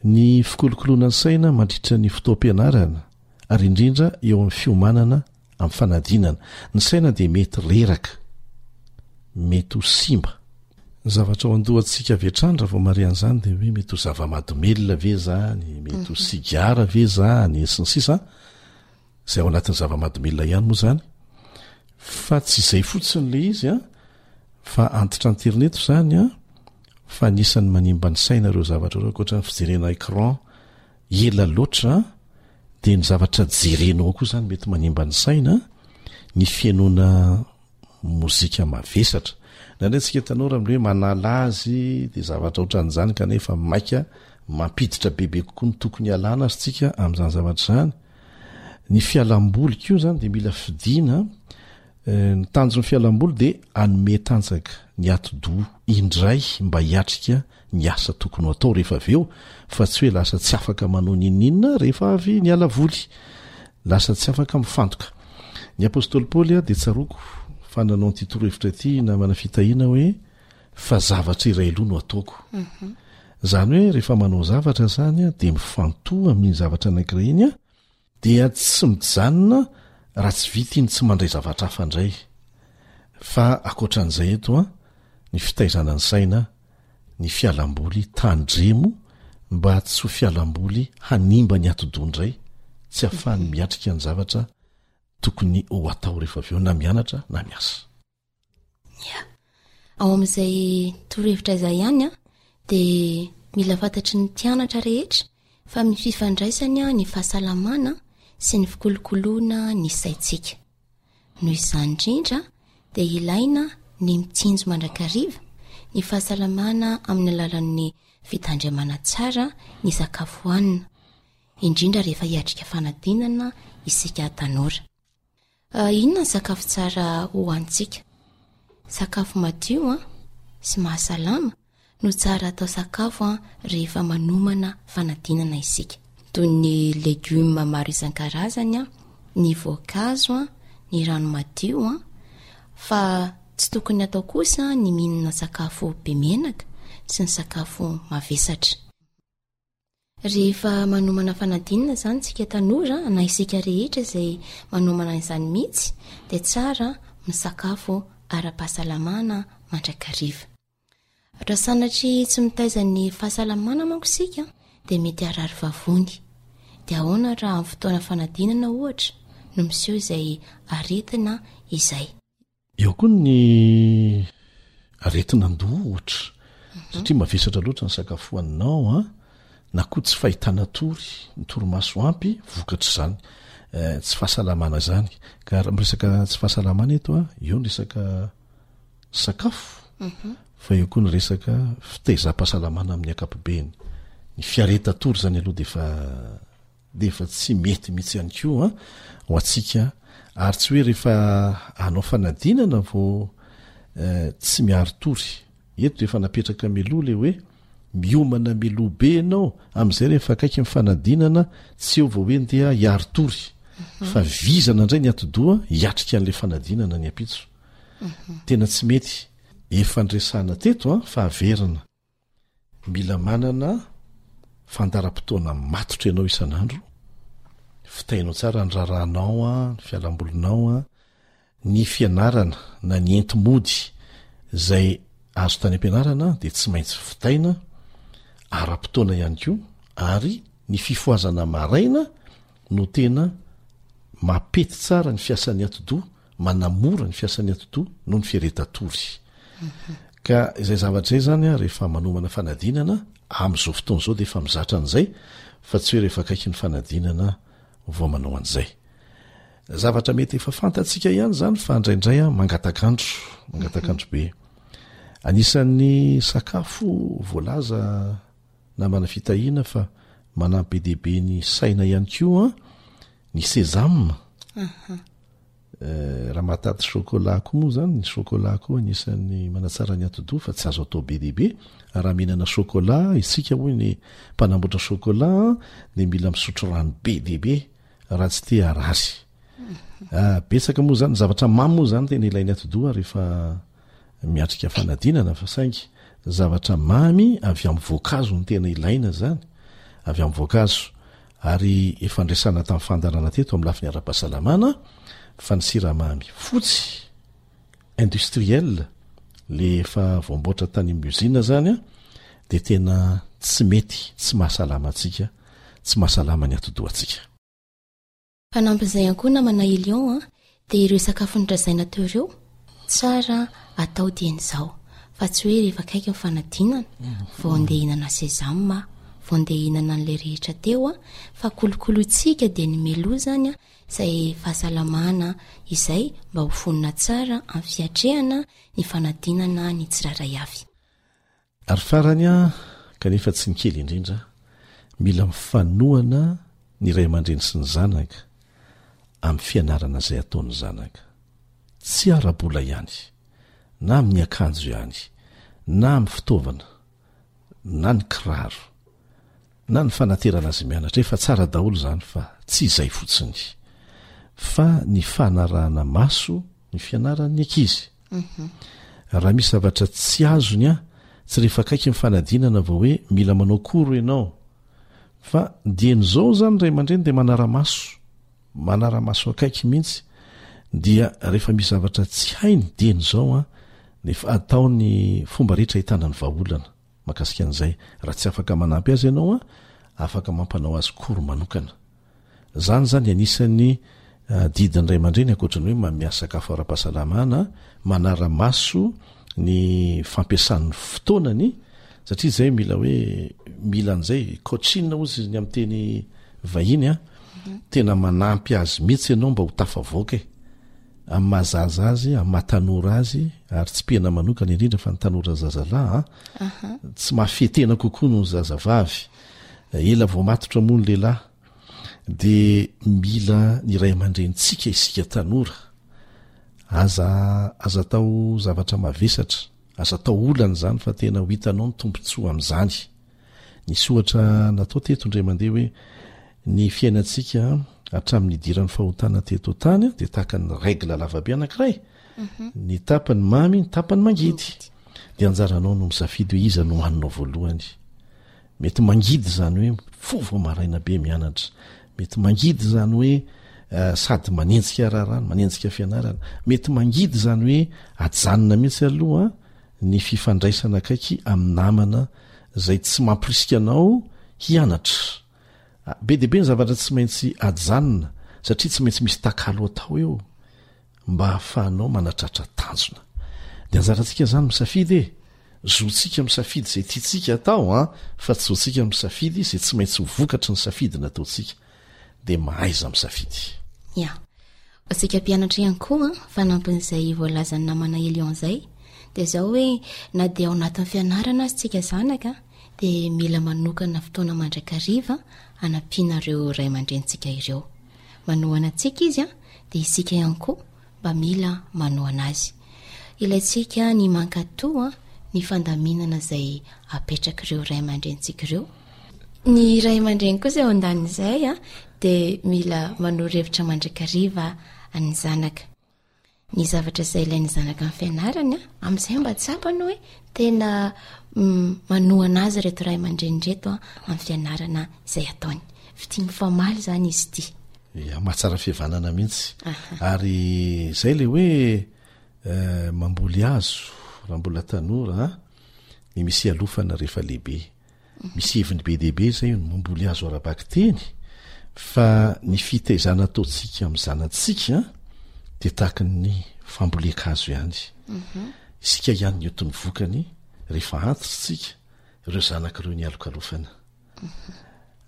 ny fikolokoloana ny saina mandritra ny fotoam-pianarana ary indrindra eo amin'ny fiomanana amin'ny fanadinana. Ny saina dia mety reraka, mety ho simba. Ny zavatra ao an-dohantsika avy hatrany raha vao mahare an'izany dia hoe mety ho zava-mahadomelina ve izany, mety ho mhm. sigara ve izany, sy ny sisa Izay ao anatin'ny zava-mahadomelina ihany moa izany. Fa tsy izay fotsiny ilay izy an, fa antitranterina eto izany an, fa anisan'ny manimba ny saina ireo zavatra ireo ankoatra ny fijerena écran ela loatra dia ny zavatra jerenao koa izany mety manimba ny saina, ny fihainoana mozika mavesatra. Indraindray tsika tanora amin'ilay hoe manala azy dia zavatra ohatran'izany kanefa maika mampiditra bebe kokoa ny tokony hialana azy tsika amin'izany zavatra izany. Ny fialamboly koa izany dia mila fidiana. Eh, ny tanjon'ny fialamboly dia hanome tanjaka ny atidoha indray mba hiatrika ny asa tokony ho atao rehefa avy eo fa tsy hoe lasa tsy afaka manao n'inon'inona rehefa avy niala voly. Lasa tsy afaka mifantoka. Ny apostoly Paoly dia tsaroako fa nanao an'ity torohevitra ity namana fitahiana hoe fa zavatra iray aloha no ataoko. Mhm. Izany hoe rehefa manao zavatra izany dia mifantoha amin'iny zavatra anankiray iny Dia tsy mijanona raha tsy vita iny tsy mandray zavatra hafa indray. Fa ankoatran'izay eto an, ny fitaizana ny saina, ny fialamboly tandremo mba tsy ho fialamboly hanimba ny atidoha indray, tsy ahafahany miatrika ny zavatra tokony ho atao rehefa avy eo na mianatra na miasa. Ya. Ao amin'izay torohevitra izay ihany an, dia mila fantatry ny mpianatra rehetra fa misy fifandraisany ny fahasalamana sy ny fikolokoloana ny saintsika. Noho izany indrindra dia ilaina ny mitsinjo mandrakariva ny fahasalamana amin'ny alalan'ny fitandremana tsara ny sakafo hohanina, indrindra rehefa hiatrika fanadinana isika tanora. Inona ny sakafo tsara hohanintsika? Sakafo madio sy mahasalama no tsara atao sakafo rehefa manomana fanadinana isika. Toy ny legioma maro isan-karazany, ny voankazo, ny rano madio. Fa tsy tokony atao kosa ny mihinana sakafo be menaka sy ny sakafo mavesatra. Rehefa manomana fanadinana izany isika tanora na isika rehetra izay manomana izany mihitsy dia tsara misakafo ara-pahasalamana mandrakariva. Raha sanatria tsy mitaiza ny fahasalamana manko isika dia mety harary vavony. Dia ahoana raha amin'ny fotoana fanadinana ohatra no miseho izay aretina izay? Eo koa ny aretin'andoha ohatra, satria mavesatra loatra ny sakafo hohaninao an, na koa tsy fahitana tory, ny torimaso ampy vokatr'izany eh, tsy fahasalamana izany. Ka raha miresaka tsy fahasalamana eto an, eo ny resaka sakafo, mhm. fa eo koa ny resaka fitaizam-pahasalamana amin'ny ankapobeny. Ny fiaretan-tory izany aloha dia efa dia efa tsy mety mihitsy ihany koa ho antsika ary tsy hoe rehefa hanao fanadinana vao eh, tsy miari-tory eto dia efa napetraka mialoha le hoe miomana mialoha be ianao amin'izay rehefa akaiky ny fanadinana tsy eo vao hoe ndeha hiari-tory mhm. fa vizana indray ny atidoha hiatrika an'ilay fanadinana ny ampitso mhm. tena tsy mety efa ndresahana teto a fa averina Mila manana fandaharam-potoana matotra ianao isan'andro, fitahinao tsara ny raharahanao, ny fialambolinao, ny fianarana na ny enti-mody izay azo tany am-pianarana dia tsy maintsy vitaina ara-potoana ihany koa ary ny fifohazana maraina no tena mampety tsara ny fiasan'ny atidoha manamora ny fiasan'ny atidoha noho ny fiaretan-tory. Ka izay zavatra izay izany rehefa manomana fanadinana, amin'izao fotoana izao dia efa mizatra an'izay fa tsy hoe rehefa akaiky ny fanadinana vao manao an'izay. Zavatra mety efa fantatsika ihany izany fa indraindray mangatak'andro, mangatak'andro be. Anisan'ny sakafo voalaza namana fitahiana fa manampy be dia be ny saina ihany koa ny sésame. Eh, raha mahatady chocolat koa moa zany, ny chocolat koa anisan'ny manatsara ny atidoha fa tsy azo atao be dia be. Raha mihinana chocolat isika hoy ny mpanamboatra chocolat dia mila misotro rano be dia be raha tsy te harary. Ah, betsaka moa zany, ny zavatra mamy moa zany tena ilain'ny atidoha rehefa miatrika fanadinana fa saingy zavatra mamy avy amin'ny voankazo no tena ilaina zany, avy amin'ny voankazo. Ary efa nresahana tamin'ny fandaharana teto amin'ny lafiny ara-pahasalamana fa ny siramamy fotsy, industriel, le efa voamboatra tany amin'ny usine zany dia tena tsy mety, tsy mahasalama antsika, tsy mahasalama ny atidohantsika. Fanampin'izay ihany koa namana Elion a, dia ireo sakafo norazaina teo ireo, tsara atao dieny izao, fa tsy hoe rehefa akaiky ny fanadinana vao andeha hihinana sésame, vao andeha hihinana an'ilay rehetra teo a, fa kolokolointsika dia ny mialoha izany a, izay fahasalamana izay mba ho vonona tsara amin'ny fiatrehana ny fanadinana ny tsirairay avy. Ary farany an, kanefa tsy ny kely indrindra, mila mifanohana ny ray aman-dreny sy ny zanaka amin'ny fianarana izay ataon'ny zanaka. Tsy ara-bola ihany, na amin'ny akanjo ihany, na amin'ny fitaovana, na ny kiraro, na ny fanaterana azy mianatra, efa tsara daholo izany fa tsy izay fotsiny, fa ny fanarahana maso ny fianaran'ny ankizy. Raha misy zavatra tsy azony an, tsy rehefa akaiky ny fanadinana vao hoe mila manao cours ianao. Fa dieny izao izany ny ray aman-dreny dia manara-maso, manara-maso akaiky mihitsy, dia rehefa misy zavatra tsy hainy dieny izao an, dia efa atao ny fomba rehetra ahitana ny vahaolana mahakasika an'izay. Raha tsy afaka manampy azy ianao an, afaka mampanao azy cours manokana. Izany izany anisan'ny adidin'ny ray aman-dreny ankoatra ny hoe manome sakafo ara-pahasalamana, manara-maso ny fampiasany ny fotoanany satria izay mila hoe mila an'izay coaching hozy ny amin'ny teny vahiny a, tena manampy azy mihitsy ianao mba ho tafavoaka e, amin'ny maha zaza azy, amin'ny maha tanora azy ary tsipihana manokana indrindra fa ny tanora zazalahy a, tsy mahafehy tena kokoa noho ny zazavavy. Ela vao matotra moa ny lehilahy dia mila ny ray aman-drenintsika isika tanora. Aza aza atao zavatra mavesatra, aza atao olana izany fa tena ho hitanao ny tombontsoa amin'izany. Nisy ohatra natao teto indray mandeha hoe ny fiainantsika hatramin'ny nidiran'ny fahotana teto an-tany dia tahaka ny règle lavabe anankiray. Mhm. Ny tapany mamy, ny tapany mangidy. Dia anjaranao no misafidy hoe iza no haninao voalohany. Mety mangidy izany hoe mifoha vao maraina be mianatra. Mety mangidy izany hoe eh, sady manenjika raharaha no manenjika fianarana. Mety mangidy izany hoe ajanona mihitsy aloha ny fifandraisana akaiky amin'ny namana izay tsy mampirisika anao hianatra. Ah, be dia be ny zavatra tsy maintsy ajanona satria tsy maintsy misy takalo atao eo. mba hahafahanao manatratra tanjona. Dia anjarantsika izany misafidy e! Zontsika misafidy izay tiantsika atao an, fa tsy zontsika misafidy izay tsy maintsy ho vokatry ny safidy nataontsika. Dia mahaiza misafidy. Ya. Ho antsika mpianatra ihany koa an, fanampin'izay voalazan'ny namana Elion izay, dia izao hoe na dia ao anatin'ny fianarana aza isika zanaka dia mila manokana fotoana mandrakariva hanampiana ireo ray aman-drenintsika ireo. Manohana antsika izy an, dia isika ihany koa mba mila manohana azy. Ilaintsika ny mankatò ny fandaminana izay apetrak'ireo ray aman-drenintsika ireo. Ny ray aman-dreny kosa eo andanin'izay dia mila manoro hevitra mandrakariva ny zanaka. Ny zavatra izay ilain'ny zanaka amin'ny fianarany, amin'izay mba tsapany hoe tena manohana azy ireto ray aman-dreny ireto amin'ny fianarana izay ataony. Fitia mifamaly izany izy ity. Ya, mahatsara fihavanana mihitsy. Ary izay ilay hoe eh, mamboly hazo raha mbola tanora, ny misy ialofana rehefa lehibe. Misy heviny be dia be izay ny mamboly hazo ara-bakiteny fa ny fitaizana ataontsika amin'ny zanatsika dia tahaka ny fambolen-kazo ihany. Mhm. Isika ihany ny otin'ny vokany rehefa antitra isika, ireo zanaka ireo nialokalofana. Mhm.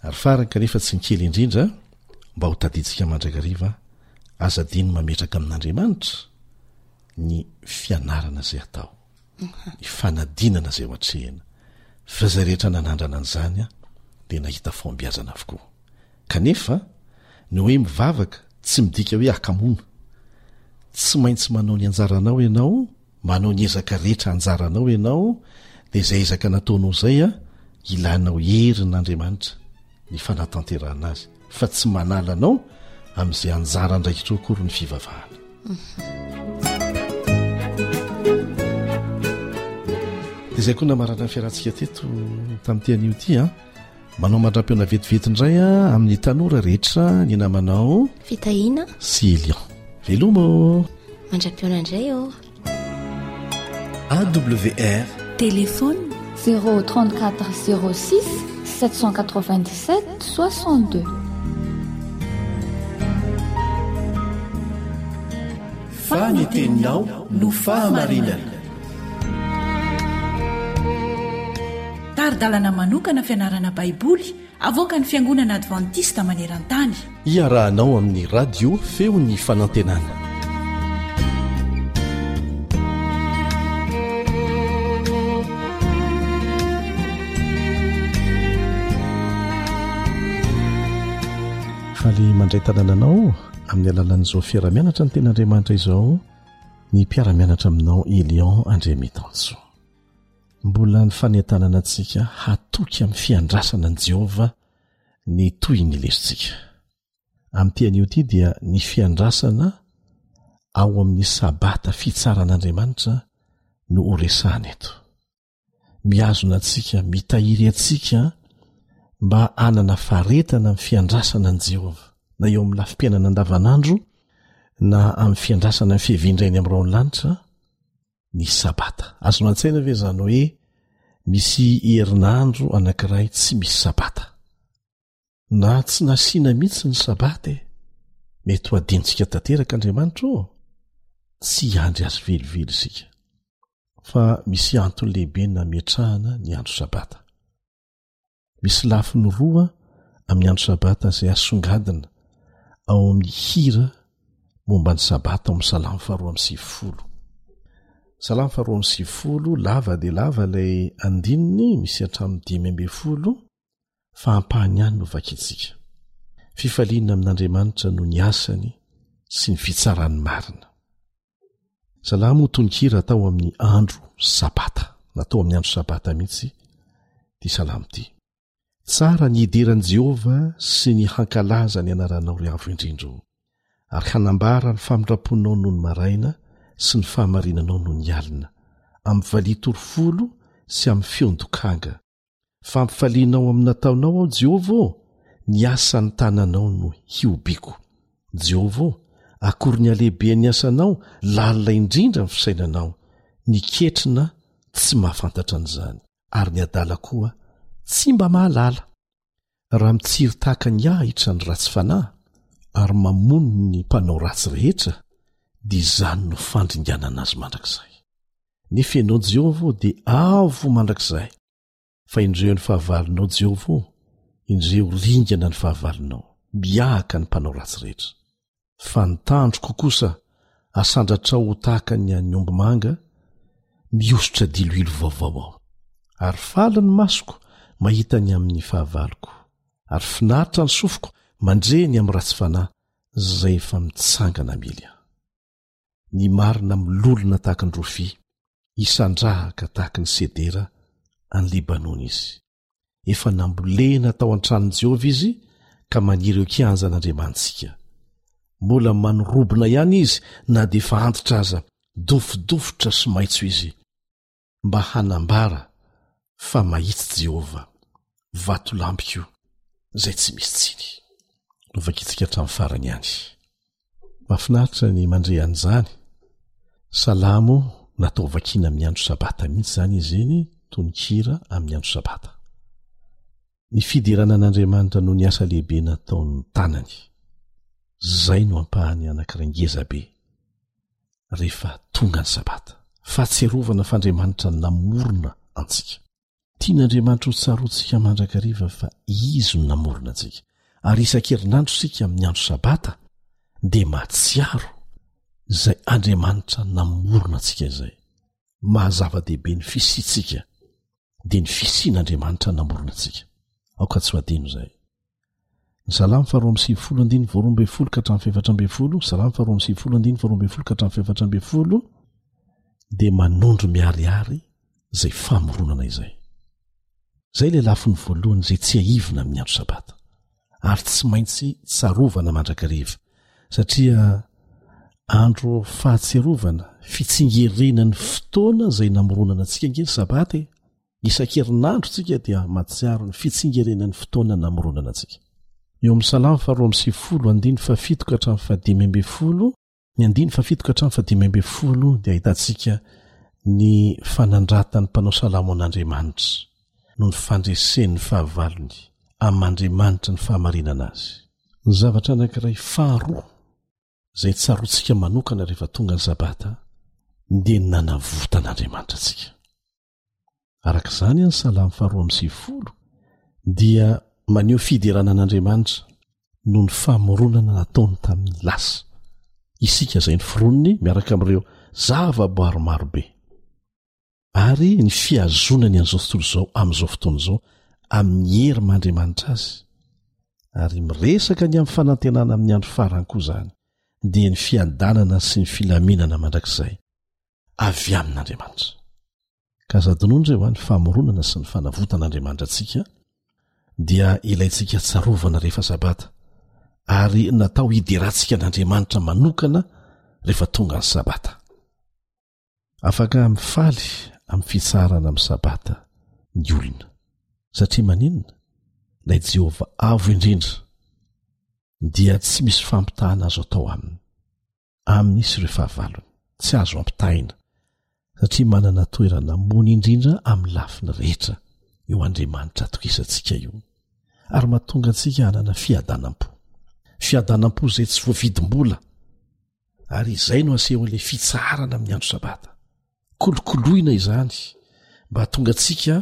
Ary farany kanefa tsy ny kely indrindra, mba ho tadidintsika mandrakariva, aza adino mametraka amin'Andriamanitra ny fianarana izay atao. Ny fanadinana izay ho atrehina. Fa izay rehetra nanandrana an'izany dia nahita fahombiazana avokoa. Kanefa, ny hoe mivavaka tsy midika hoe hakamoana. Tsy maintsy manao ny anjaranao ianao, manao ny ezaka rehetra anjaranao ianao, dia izay ezaka nataonao izay ilanao herin'Andriamanitra ny fanatanterahana azy, fa tsy manala anao amin'izay anjara andraikitrao akory ny fivavahana. Dia izay koa namarana ny fiarahantsika teto tamin'ity anio ity an. Manao mandram-peona vetivety indray a amin'ny tanora rehetra ny namanao Fitahiana sy Elion. Veloma ô! Mandram-peona indray ô! AWR Téléphone 034 06 797 62. Fa ny teninao no fahamarinana. Tari-dalana manokana fianarana Baiboly avoakan'ny Fiangonana Advantista maneran-tany. Iarahanao amin'ny Radio Feon'ny Fanantenana. Faly mandray tanana anao amin'ny alalan'izao fiaraha-mianatra ny Tenin'Andriamanitra izao ny mpiara-mianatra aminao Elion Andriamitansoa. Mbola ny fanentanana antsika hatoky amin'ny fiandrasana an'i Jehovah ny tohin'ny lesontsika. Amin'ity anio ity dia ny fiandrasana ao amin'ny Sabata fitsaran'Andriamanitra no horesahana eto. Mihazona antsika, mitahiry antsika mba hanana faharetana amin'ny fiandrasana an'i Jehovah, na eo amin'ny lafim-piainana andavanandro na amin'ny fiandrasana ny fiavian-dRainy amin'ny rahon'ny lanitra, ny Sabata. Azonao an-tsaina ve izany hoe misy herinandro anankiray tsy misy Sabata? Na tsy nasiana mihitsy ny Sabata e! Mety ho adinontsika tanteraka Andriamanitra ô! Tsy hiandry azy velively isika. Fa misy antony lehibe nametrahana ny andro Sabata. Misy lafiny roa amin'ny andro Sabata izay asongadina ao amin'ny hira momba ny Sabata ao amin'ny Salamo faharoa amby sivifolo. Salamo faharoa amby sivifolo, lava dia lava ilay andininy, misy hatramin'ny 15, fa ampahany ihany no vakintsika. Fifaliana amin'Andriamanitra noho ny asany sy ny fitsarany marina. Salamo tononkira atao amin'ny andro Sabata. Natao amin'ny andro Sabata mihitsy ity salamo ity. Tsara ny hidera an'i Jehovah sy ny hankalaza ny anaranao ry Avo Indrindra ô, ary hanambara ny famindram-ponao nony maraina sy ny fahamarinanao nony alina, amin'ny valiha torofolo sy amin'ny feon-dokanga. Fampifalianao amin'ny nataonao aho, Jehovah ô, ny asan'ny tananao no hihobiako. Jehovah ô, akory ny halehiben'ny asanao, lalina indrindra ny fisainanao. Ny ketrina tsy mahafantatra an'izany, ary ny adala koa tsy mba mahalala. Raha mitsiry tahaka ny ahitra ny ratsy fanahy, ary mamono ny mpanao ratsy rehetra, dia izany no fandringanana azy mandrakizay. Nefa ianao Jehovah ô dia avo mandrakizay. Fa indreo ny fahavalonao Jehovah ô, indreo ringana ny fahavalonao, mihahaka ny mpanao ratsy rehetra. Fa ny tandroko kosa asandratrao ho tahaka ny an'ny ombimanga, mihosotra diloilo vaovao aho. Ary faly ny masoko mahita ny amin'ny fahavaloko, ary finaritra ny sofiko mandre ny amin'ny ratsy fanahy izay efa mitsangana hamely ahy. Ny marina milolona tahaka ny rofia, hisandrahaka tahaka ny sedera any Libanona izy. Efa nambolena tao an-tranon'i Jehovah izy ka maniry eo kianjan'Andriamanitsika. Mbola manorobona ihany izy na dia efa antitra aza, dofodofotra sy maitso izy. mba hanambara fa mahitsy Jehovah, Vatolampiko izay tsy misy tsiny. Novakintsika hatramin'ny farany ihany. Mahafinaritra ny mandre an'izany. Salamo natao vakiana amin'ny andro sabata mihitsy izany izy iny, tononkira amin'ny andro sabata. Ny fiderana an'Andriamanitra noho ny asa lehibe nataon'ny tanany. Izay no ampahany anankiray ngeza be rehefa tonga ny Sabata. Fahatsiarovana fa Andriamanitra namorona antsika. Tian'Andriamanitra ho tsaroantsika mandrakariva fa Izy no namorona antsika. Ary isan-kerinandro isika amin'ny andro Sabata dia mahatsiaro izay Andriamanitra namorona antsika izay. maha zava-dehibe ny fisiantsika dia ny fisian'Andriamanitra namorona antsika. Aoka tsy ho adino izay. Ny Salamo faharoa amby sivifolo andininy voaroa ambin'ny folo ka hatramin'ny fahefatra ambin'ny folo, Salamo faharoa amby sivifolo andininy faharoa ambin'ny folo ka hatramin'ny fahefatra ambin'ny folo dia manondro miharihary izay famoronana izay. Izay ilay lafiny voalohany izay tsiahivina amin'ny andro Sabata ary tsy maintsy tsarovana mandrakariva satria andro fahatsiarovana, fitsingerenan'ny fotoana izay namoronana antsika ange ny Sabata e. Isan-kerinandro tsika dia mahatsiaro ny fitsingerenan'ny fotoana namoronana antsika. Eo amin'ny Salamo faharoa amby sivifolo andininy fahafito ka hatramin'ny fahadimy ambin'ny folo, ny andininy fahafito ka hatramin'ny fahadimy ambin'ny folo dia ahitantsika ny fanandratan'ny mpanao salamo an'Andriamanitra noho ny fandresen'ny fahavalony amin'Andriamanitra ny fahamarinana azy. Ny zavatra anankiray faharoa izay tsaroantsika manokana rehefa tonga ny Sabata dia ny nanavotan'Andriamanitra antsika. Araka izany, ny Salamo faharoa amby sivifolo dia maneho fiderana an'Andriamanitra noho ny famoronana nataony tamin'ny lasa. Isika izay noforoniny miaraka amin'ireo zavaboary maro be. Ary ny fihazonany an'izao tontolo izao amin'izao fotoana izao amin'ny hery maha-Andriamanitra azy. Ary miresaka ny amin'ny fanantenana amin'ny andro farany koa izany, dia ny fiadanana sy ny filaminana mandrakizay. avy amin'Andriamanitra. Ka aza adinoina ireo ny famoronana sy ny fanavotan'Andriamanitra antsika dia ilaintsika tsarovana rehefa Sabata, ary natao hiderantsika an'Andriamanitra manokana rehefa tonga ny Sabata. Afaka mifaly amin'ny fitsaharana amin'ny Sabata ny olona, satria maninona? Ilay Jehovah Avo Indrindra dia tsy misy fampitahana azo atao aminy. aminy sy ireo fahavalony, tsy azo ampitahaina, satria manana toerana ambony indrindra amin'ny lafiny rehetra io Andriamanitra atokisantsika io, ary mahatonga antsika hanana fiadanam-po. Fiadanam-po izay tsy voavidim-bola, ary izay no asehon'ilay fitsaharana amin'ny andro Sabata. Kolokoloina izany mba hahatonga antsika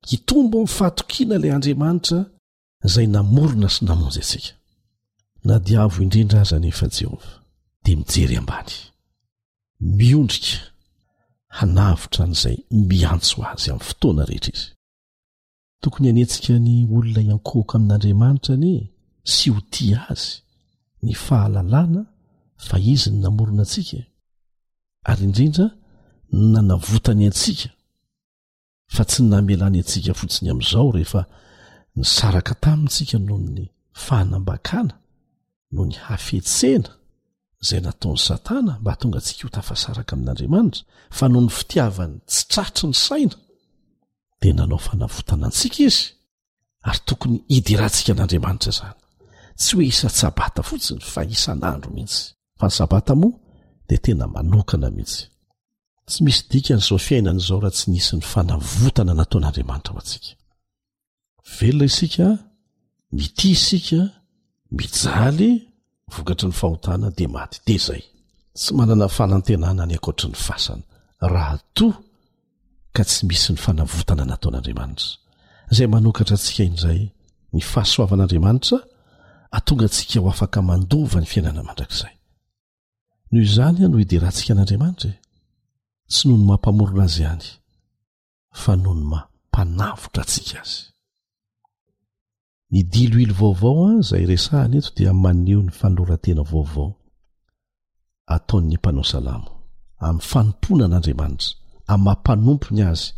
hitombo amin'ny fahatokiana ilay Andriamanitra izay namorona sy namonjy antsika. Na dia avo indrindra aza anefa Jehovah, dia mijery ambany, miondrika hanavotra an'izay miantso azy amin'ny fotoana rehetra izy. Tokony hanetsika ny olona hiankohoka amin'Andriamanitra anie sy ho tia azy ny fahalalana fa izy no namorona antsika, ary indrindra ny nanavotany antsika. fa tsy ny namelany antsika fotsiny amin'izao rehefa nisaraka taminy tsika noho ny fahanambakana, noho ny hafetsena izay nataon'i Satana mba hahatonga antsika ho tafasaraka amin'Andriamanitra, fa noho ny fitiavany tsy tratry ny saina dia nanao fanavotana antsika izy, ary tokony hidirantsika an'Andriamanitra izany, tsy hoe isan-tsabata fotsiny fa isan'andro mihitsy, fa ny sabata moa dia tena manokana mihitsy. Tsy misy dikany izao fiainana izao raha tsy nisy ny fanavotana nataon'Andriamanitra ho antsika. Velona isika, mitia isika, mijaly vokatry ny fahotana dia maty. Dia izay. Tsy manana fanantenana any ankoatry ny fasana raha toa ka tsy misy ny fanavotana nataon'Andriamanitra. Izay manokatra antsika indray ny fahasoavan'Andriamanitra atonga antsika ho afaka mandova ny fiainana mandrakizay. Noho izany no hiderantsika an'Andriamanitra e! Tsy noho ny maha Mpamorona Azy ihany, fa noho ny maha Mpanavotra antsika Azy. Ny diloilo vaovao izay resahana eto dia maneho ny fanoloran-tena vaovao ataon'ny mpanao salamo amin'ny fanompoana an'Andriamanitra, amin'ny maha mpanompony azy,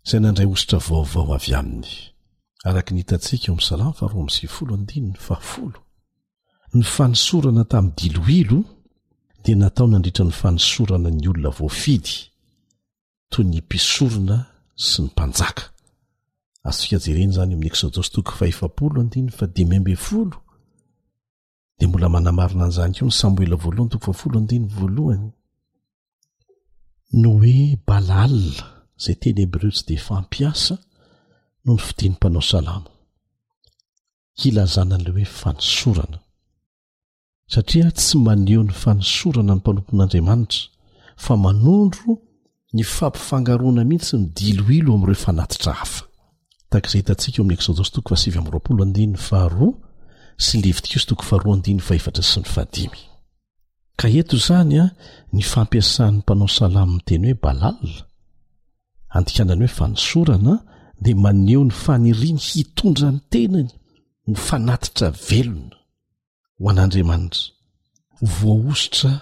izay nandray hosotra vaovao avy aminy, araka ny hitantsika eo amin'ny Salamo faharoa amby sivifolo andininy fahafolo. Ny fanosorana tamin'ny diloilo dia natao nandritra ny fanosorana ny olona voafidy, toy ny mpisorona sy ny mpanjaka. Azontsika jerena izany eo amin'ny Eksodosy toko fahefapolo andininy fahadimy ambin'ny folo. Dia mbola manamarina an'izany koa ny Samoela voalohany toko fahafolo andininy voalohany. Ny hoe Balal, izay teny hebreo tsy dia fampiasa, no nofidin'ny mpanao salamo hilazana an'ilay hoe fanosorana. Satria tsy maneho ny fanosorana ny mpanompon'Andriamanitra, fa manondro ny fampifangaroana mihitsy ny diloilo amin'ireo fanatitra hafa. Tahaka izay hitantsika eo amin'ny Eksodosy toko fahasivy amby roapolo andininy faharoa sy Levitikosy toko faharoa andininy fahefatra sy ny fahadimy. Ka eto izany ny fampiasan'ny mpanao salamo ny teny hoe Balal. Andikana ny hoe fanosorana dia maneho ny faniriany hitondra ny tenany ho fanatitra velona ho an'Andriamanitra. Voahosotra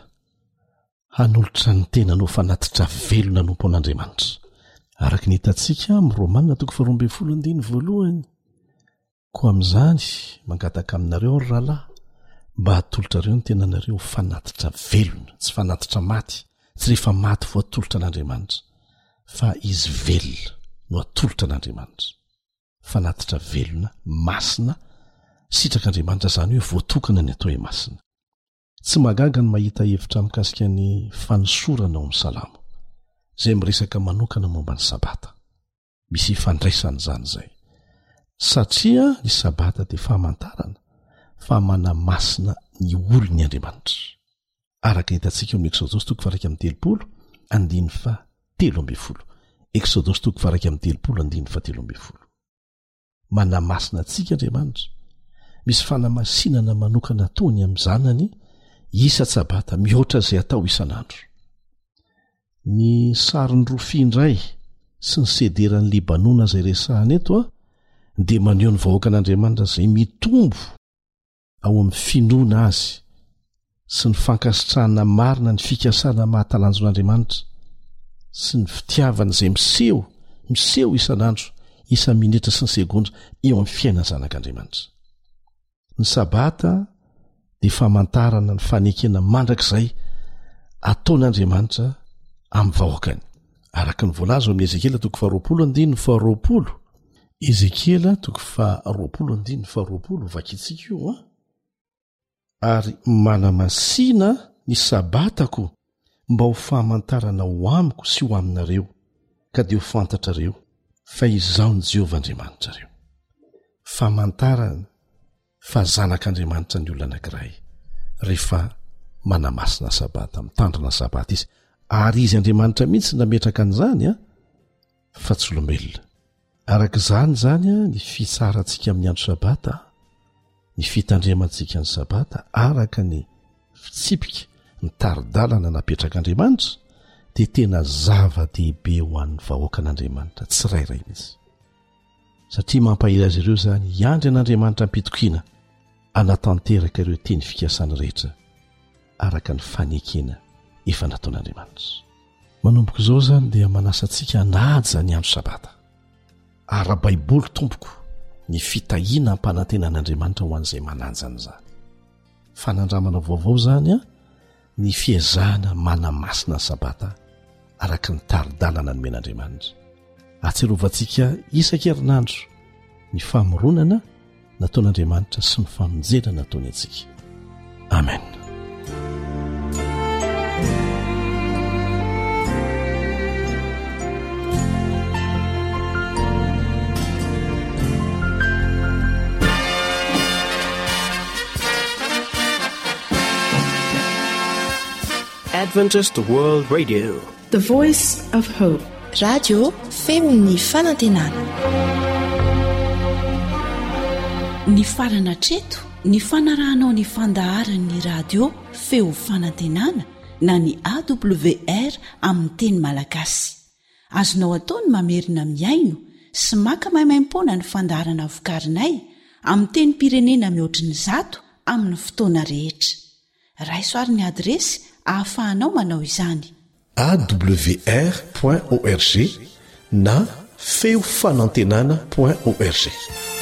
hanolotra ny tenany ho fanatitra velona hanompo an'Andriamanitra. Araka ny hitantsika amin'ny Romana toko faharoa andininy voalohany. Koa amin'izany, mangataka aminareo aho, ry rahalahy, mba hatolotrareo ny tenanareo ho fanatitra velona, tsy fanatitra maty, tsy rehefa maty vao atolotra an'Andriamanitra, fa izy velona no atolotra an'Andriamanitra. Fanatitra velona, masina, sitrak'Andriamanitra, izany hoe voatokana ny atao hoe masina. Tsy mahagaga ny mahita hevitra mikasika ny fanosorana ao amin'ny Salamo, izay miresaka manokana momba ny Sabata. Misy ifandraisany izany izay. Satria ny Sabata dia famantarana fa manamasina ny olony Andriamanitra. Araka ny hitantsika ao amin'ny Eksodosy toko faha-31 andininy faha-13. Eksodosy toko faha-31 andininy faha-13. Manamasina antsika Andriamanitra. Misy fanamasinana manokana ataony amin'ny zanany isa-tsabata mihoatra izay atao isan'andro. Ny sarin'ny rofia indray sy ny sederan'i Libanona izay resahana eto dia maneho ny vahoakan'Andriamanitra izay mitombo ao amin'ny finoana azy sy ny fankasitrahana marina ny fikasana mahatalanjon'Andriamanitra sy ny fitiavana izay miseho miseho isan'andro isa-minitra sy ny segondra eo amin'ny fiainan'ny zanak'Andriamanitra. Ny Sabata dia famantarana ny fanekena mandrakizay ataon'Andriamanitra amin'ny vahoakany. Araka ny voalaza ao amin'ny Ezekiela toko faharoapolo andininy faharoapolo. Ezekiela toko faharoapolo andininy faharoapolo, vakintsika io an. Ary manamasina ny Sabatako mba ho famantarana ho amiko sy ho aminareo, ka dia ho fantatrareo fa Izaho no Jehovah Andriamanitrareo. Famantarana fa zanak'Andriamanitra ny olona anankiray rehefa manamasina Sabata, mitandrina Sabata izy. Ary izy Andriamanitra mihitsy nametraka an'izany an, fa tsy olombelona. Araka izany izany ny fitsarantsika amin'ny andro Sabata, ny fitandremantsika ny Sabata araka ny fitsipika, ny tari-dalana napetrak'Andriamanitra dia tena zava-dehibe ho an'ny vahoakan'Andriamanitra tsirairay mihitsy. Satria mampahery azy ireo izany hiandry an'Andriamanitra am-pitokiana hanatanteraka ireo teny fikasany rehetra araka ny fanekena efa nataon'Andriamanitra. Manomboka izao izany dia manasa antsika hanaja ny andro Sabata. Ara-baiboly tompoko ny fitahiana ampanantenan'Andriamanitra ho an'izay manaja an'izany. Fanandramana vaovao izany an, ny fiezahana manamasina ny Sabata araka ny tari-dalana nomen'Andriamanitra. Ahatsiarovantsika isan-kerinandro ny famoronana nataon'Andriamanitra sy ny famonjena nataony antsika. Amen. Adventist World Radio. The Voice of Hope. Radio feon'ny fanantenana. Nifarana hatreto ny fanarahanao ny fandaharan'ny radio feo fanantenana na ny AWR amin'ny teny malagasy. Azonao atao ny mamerina mihaino sy maka maimaimpoana ny fandaharana vokarinay amin'ny tenim-pirenena mihoatry ny zato amin'ny fotoana rehetra. Raiso ary ny adiresy ahafahanao manao izany. Awr point org na feo fanantenana point org.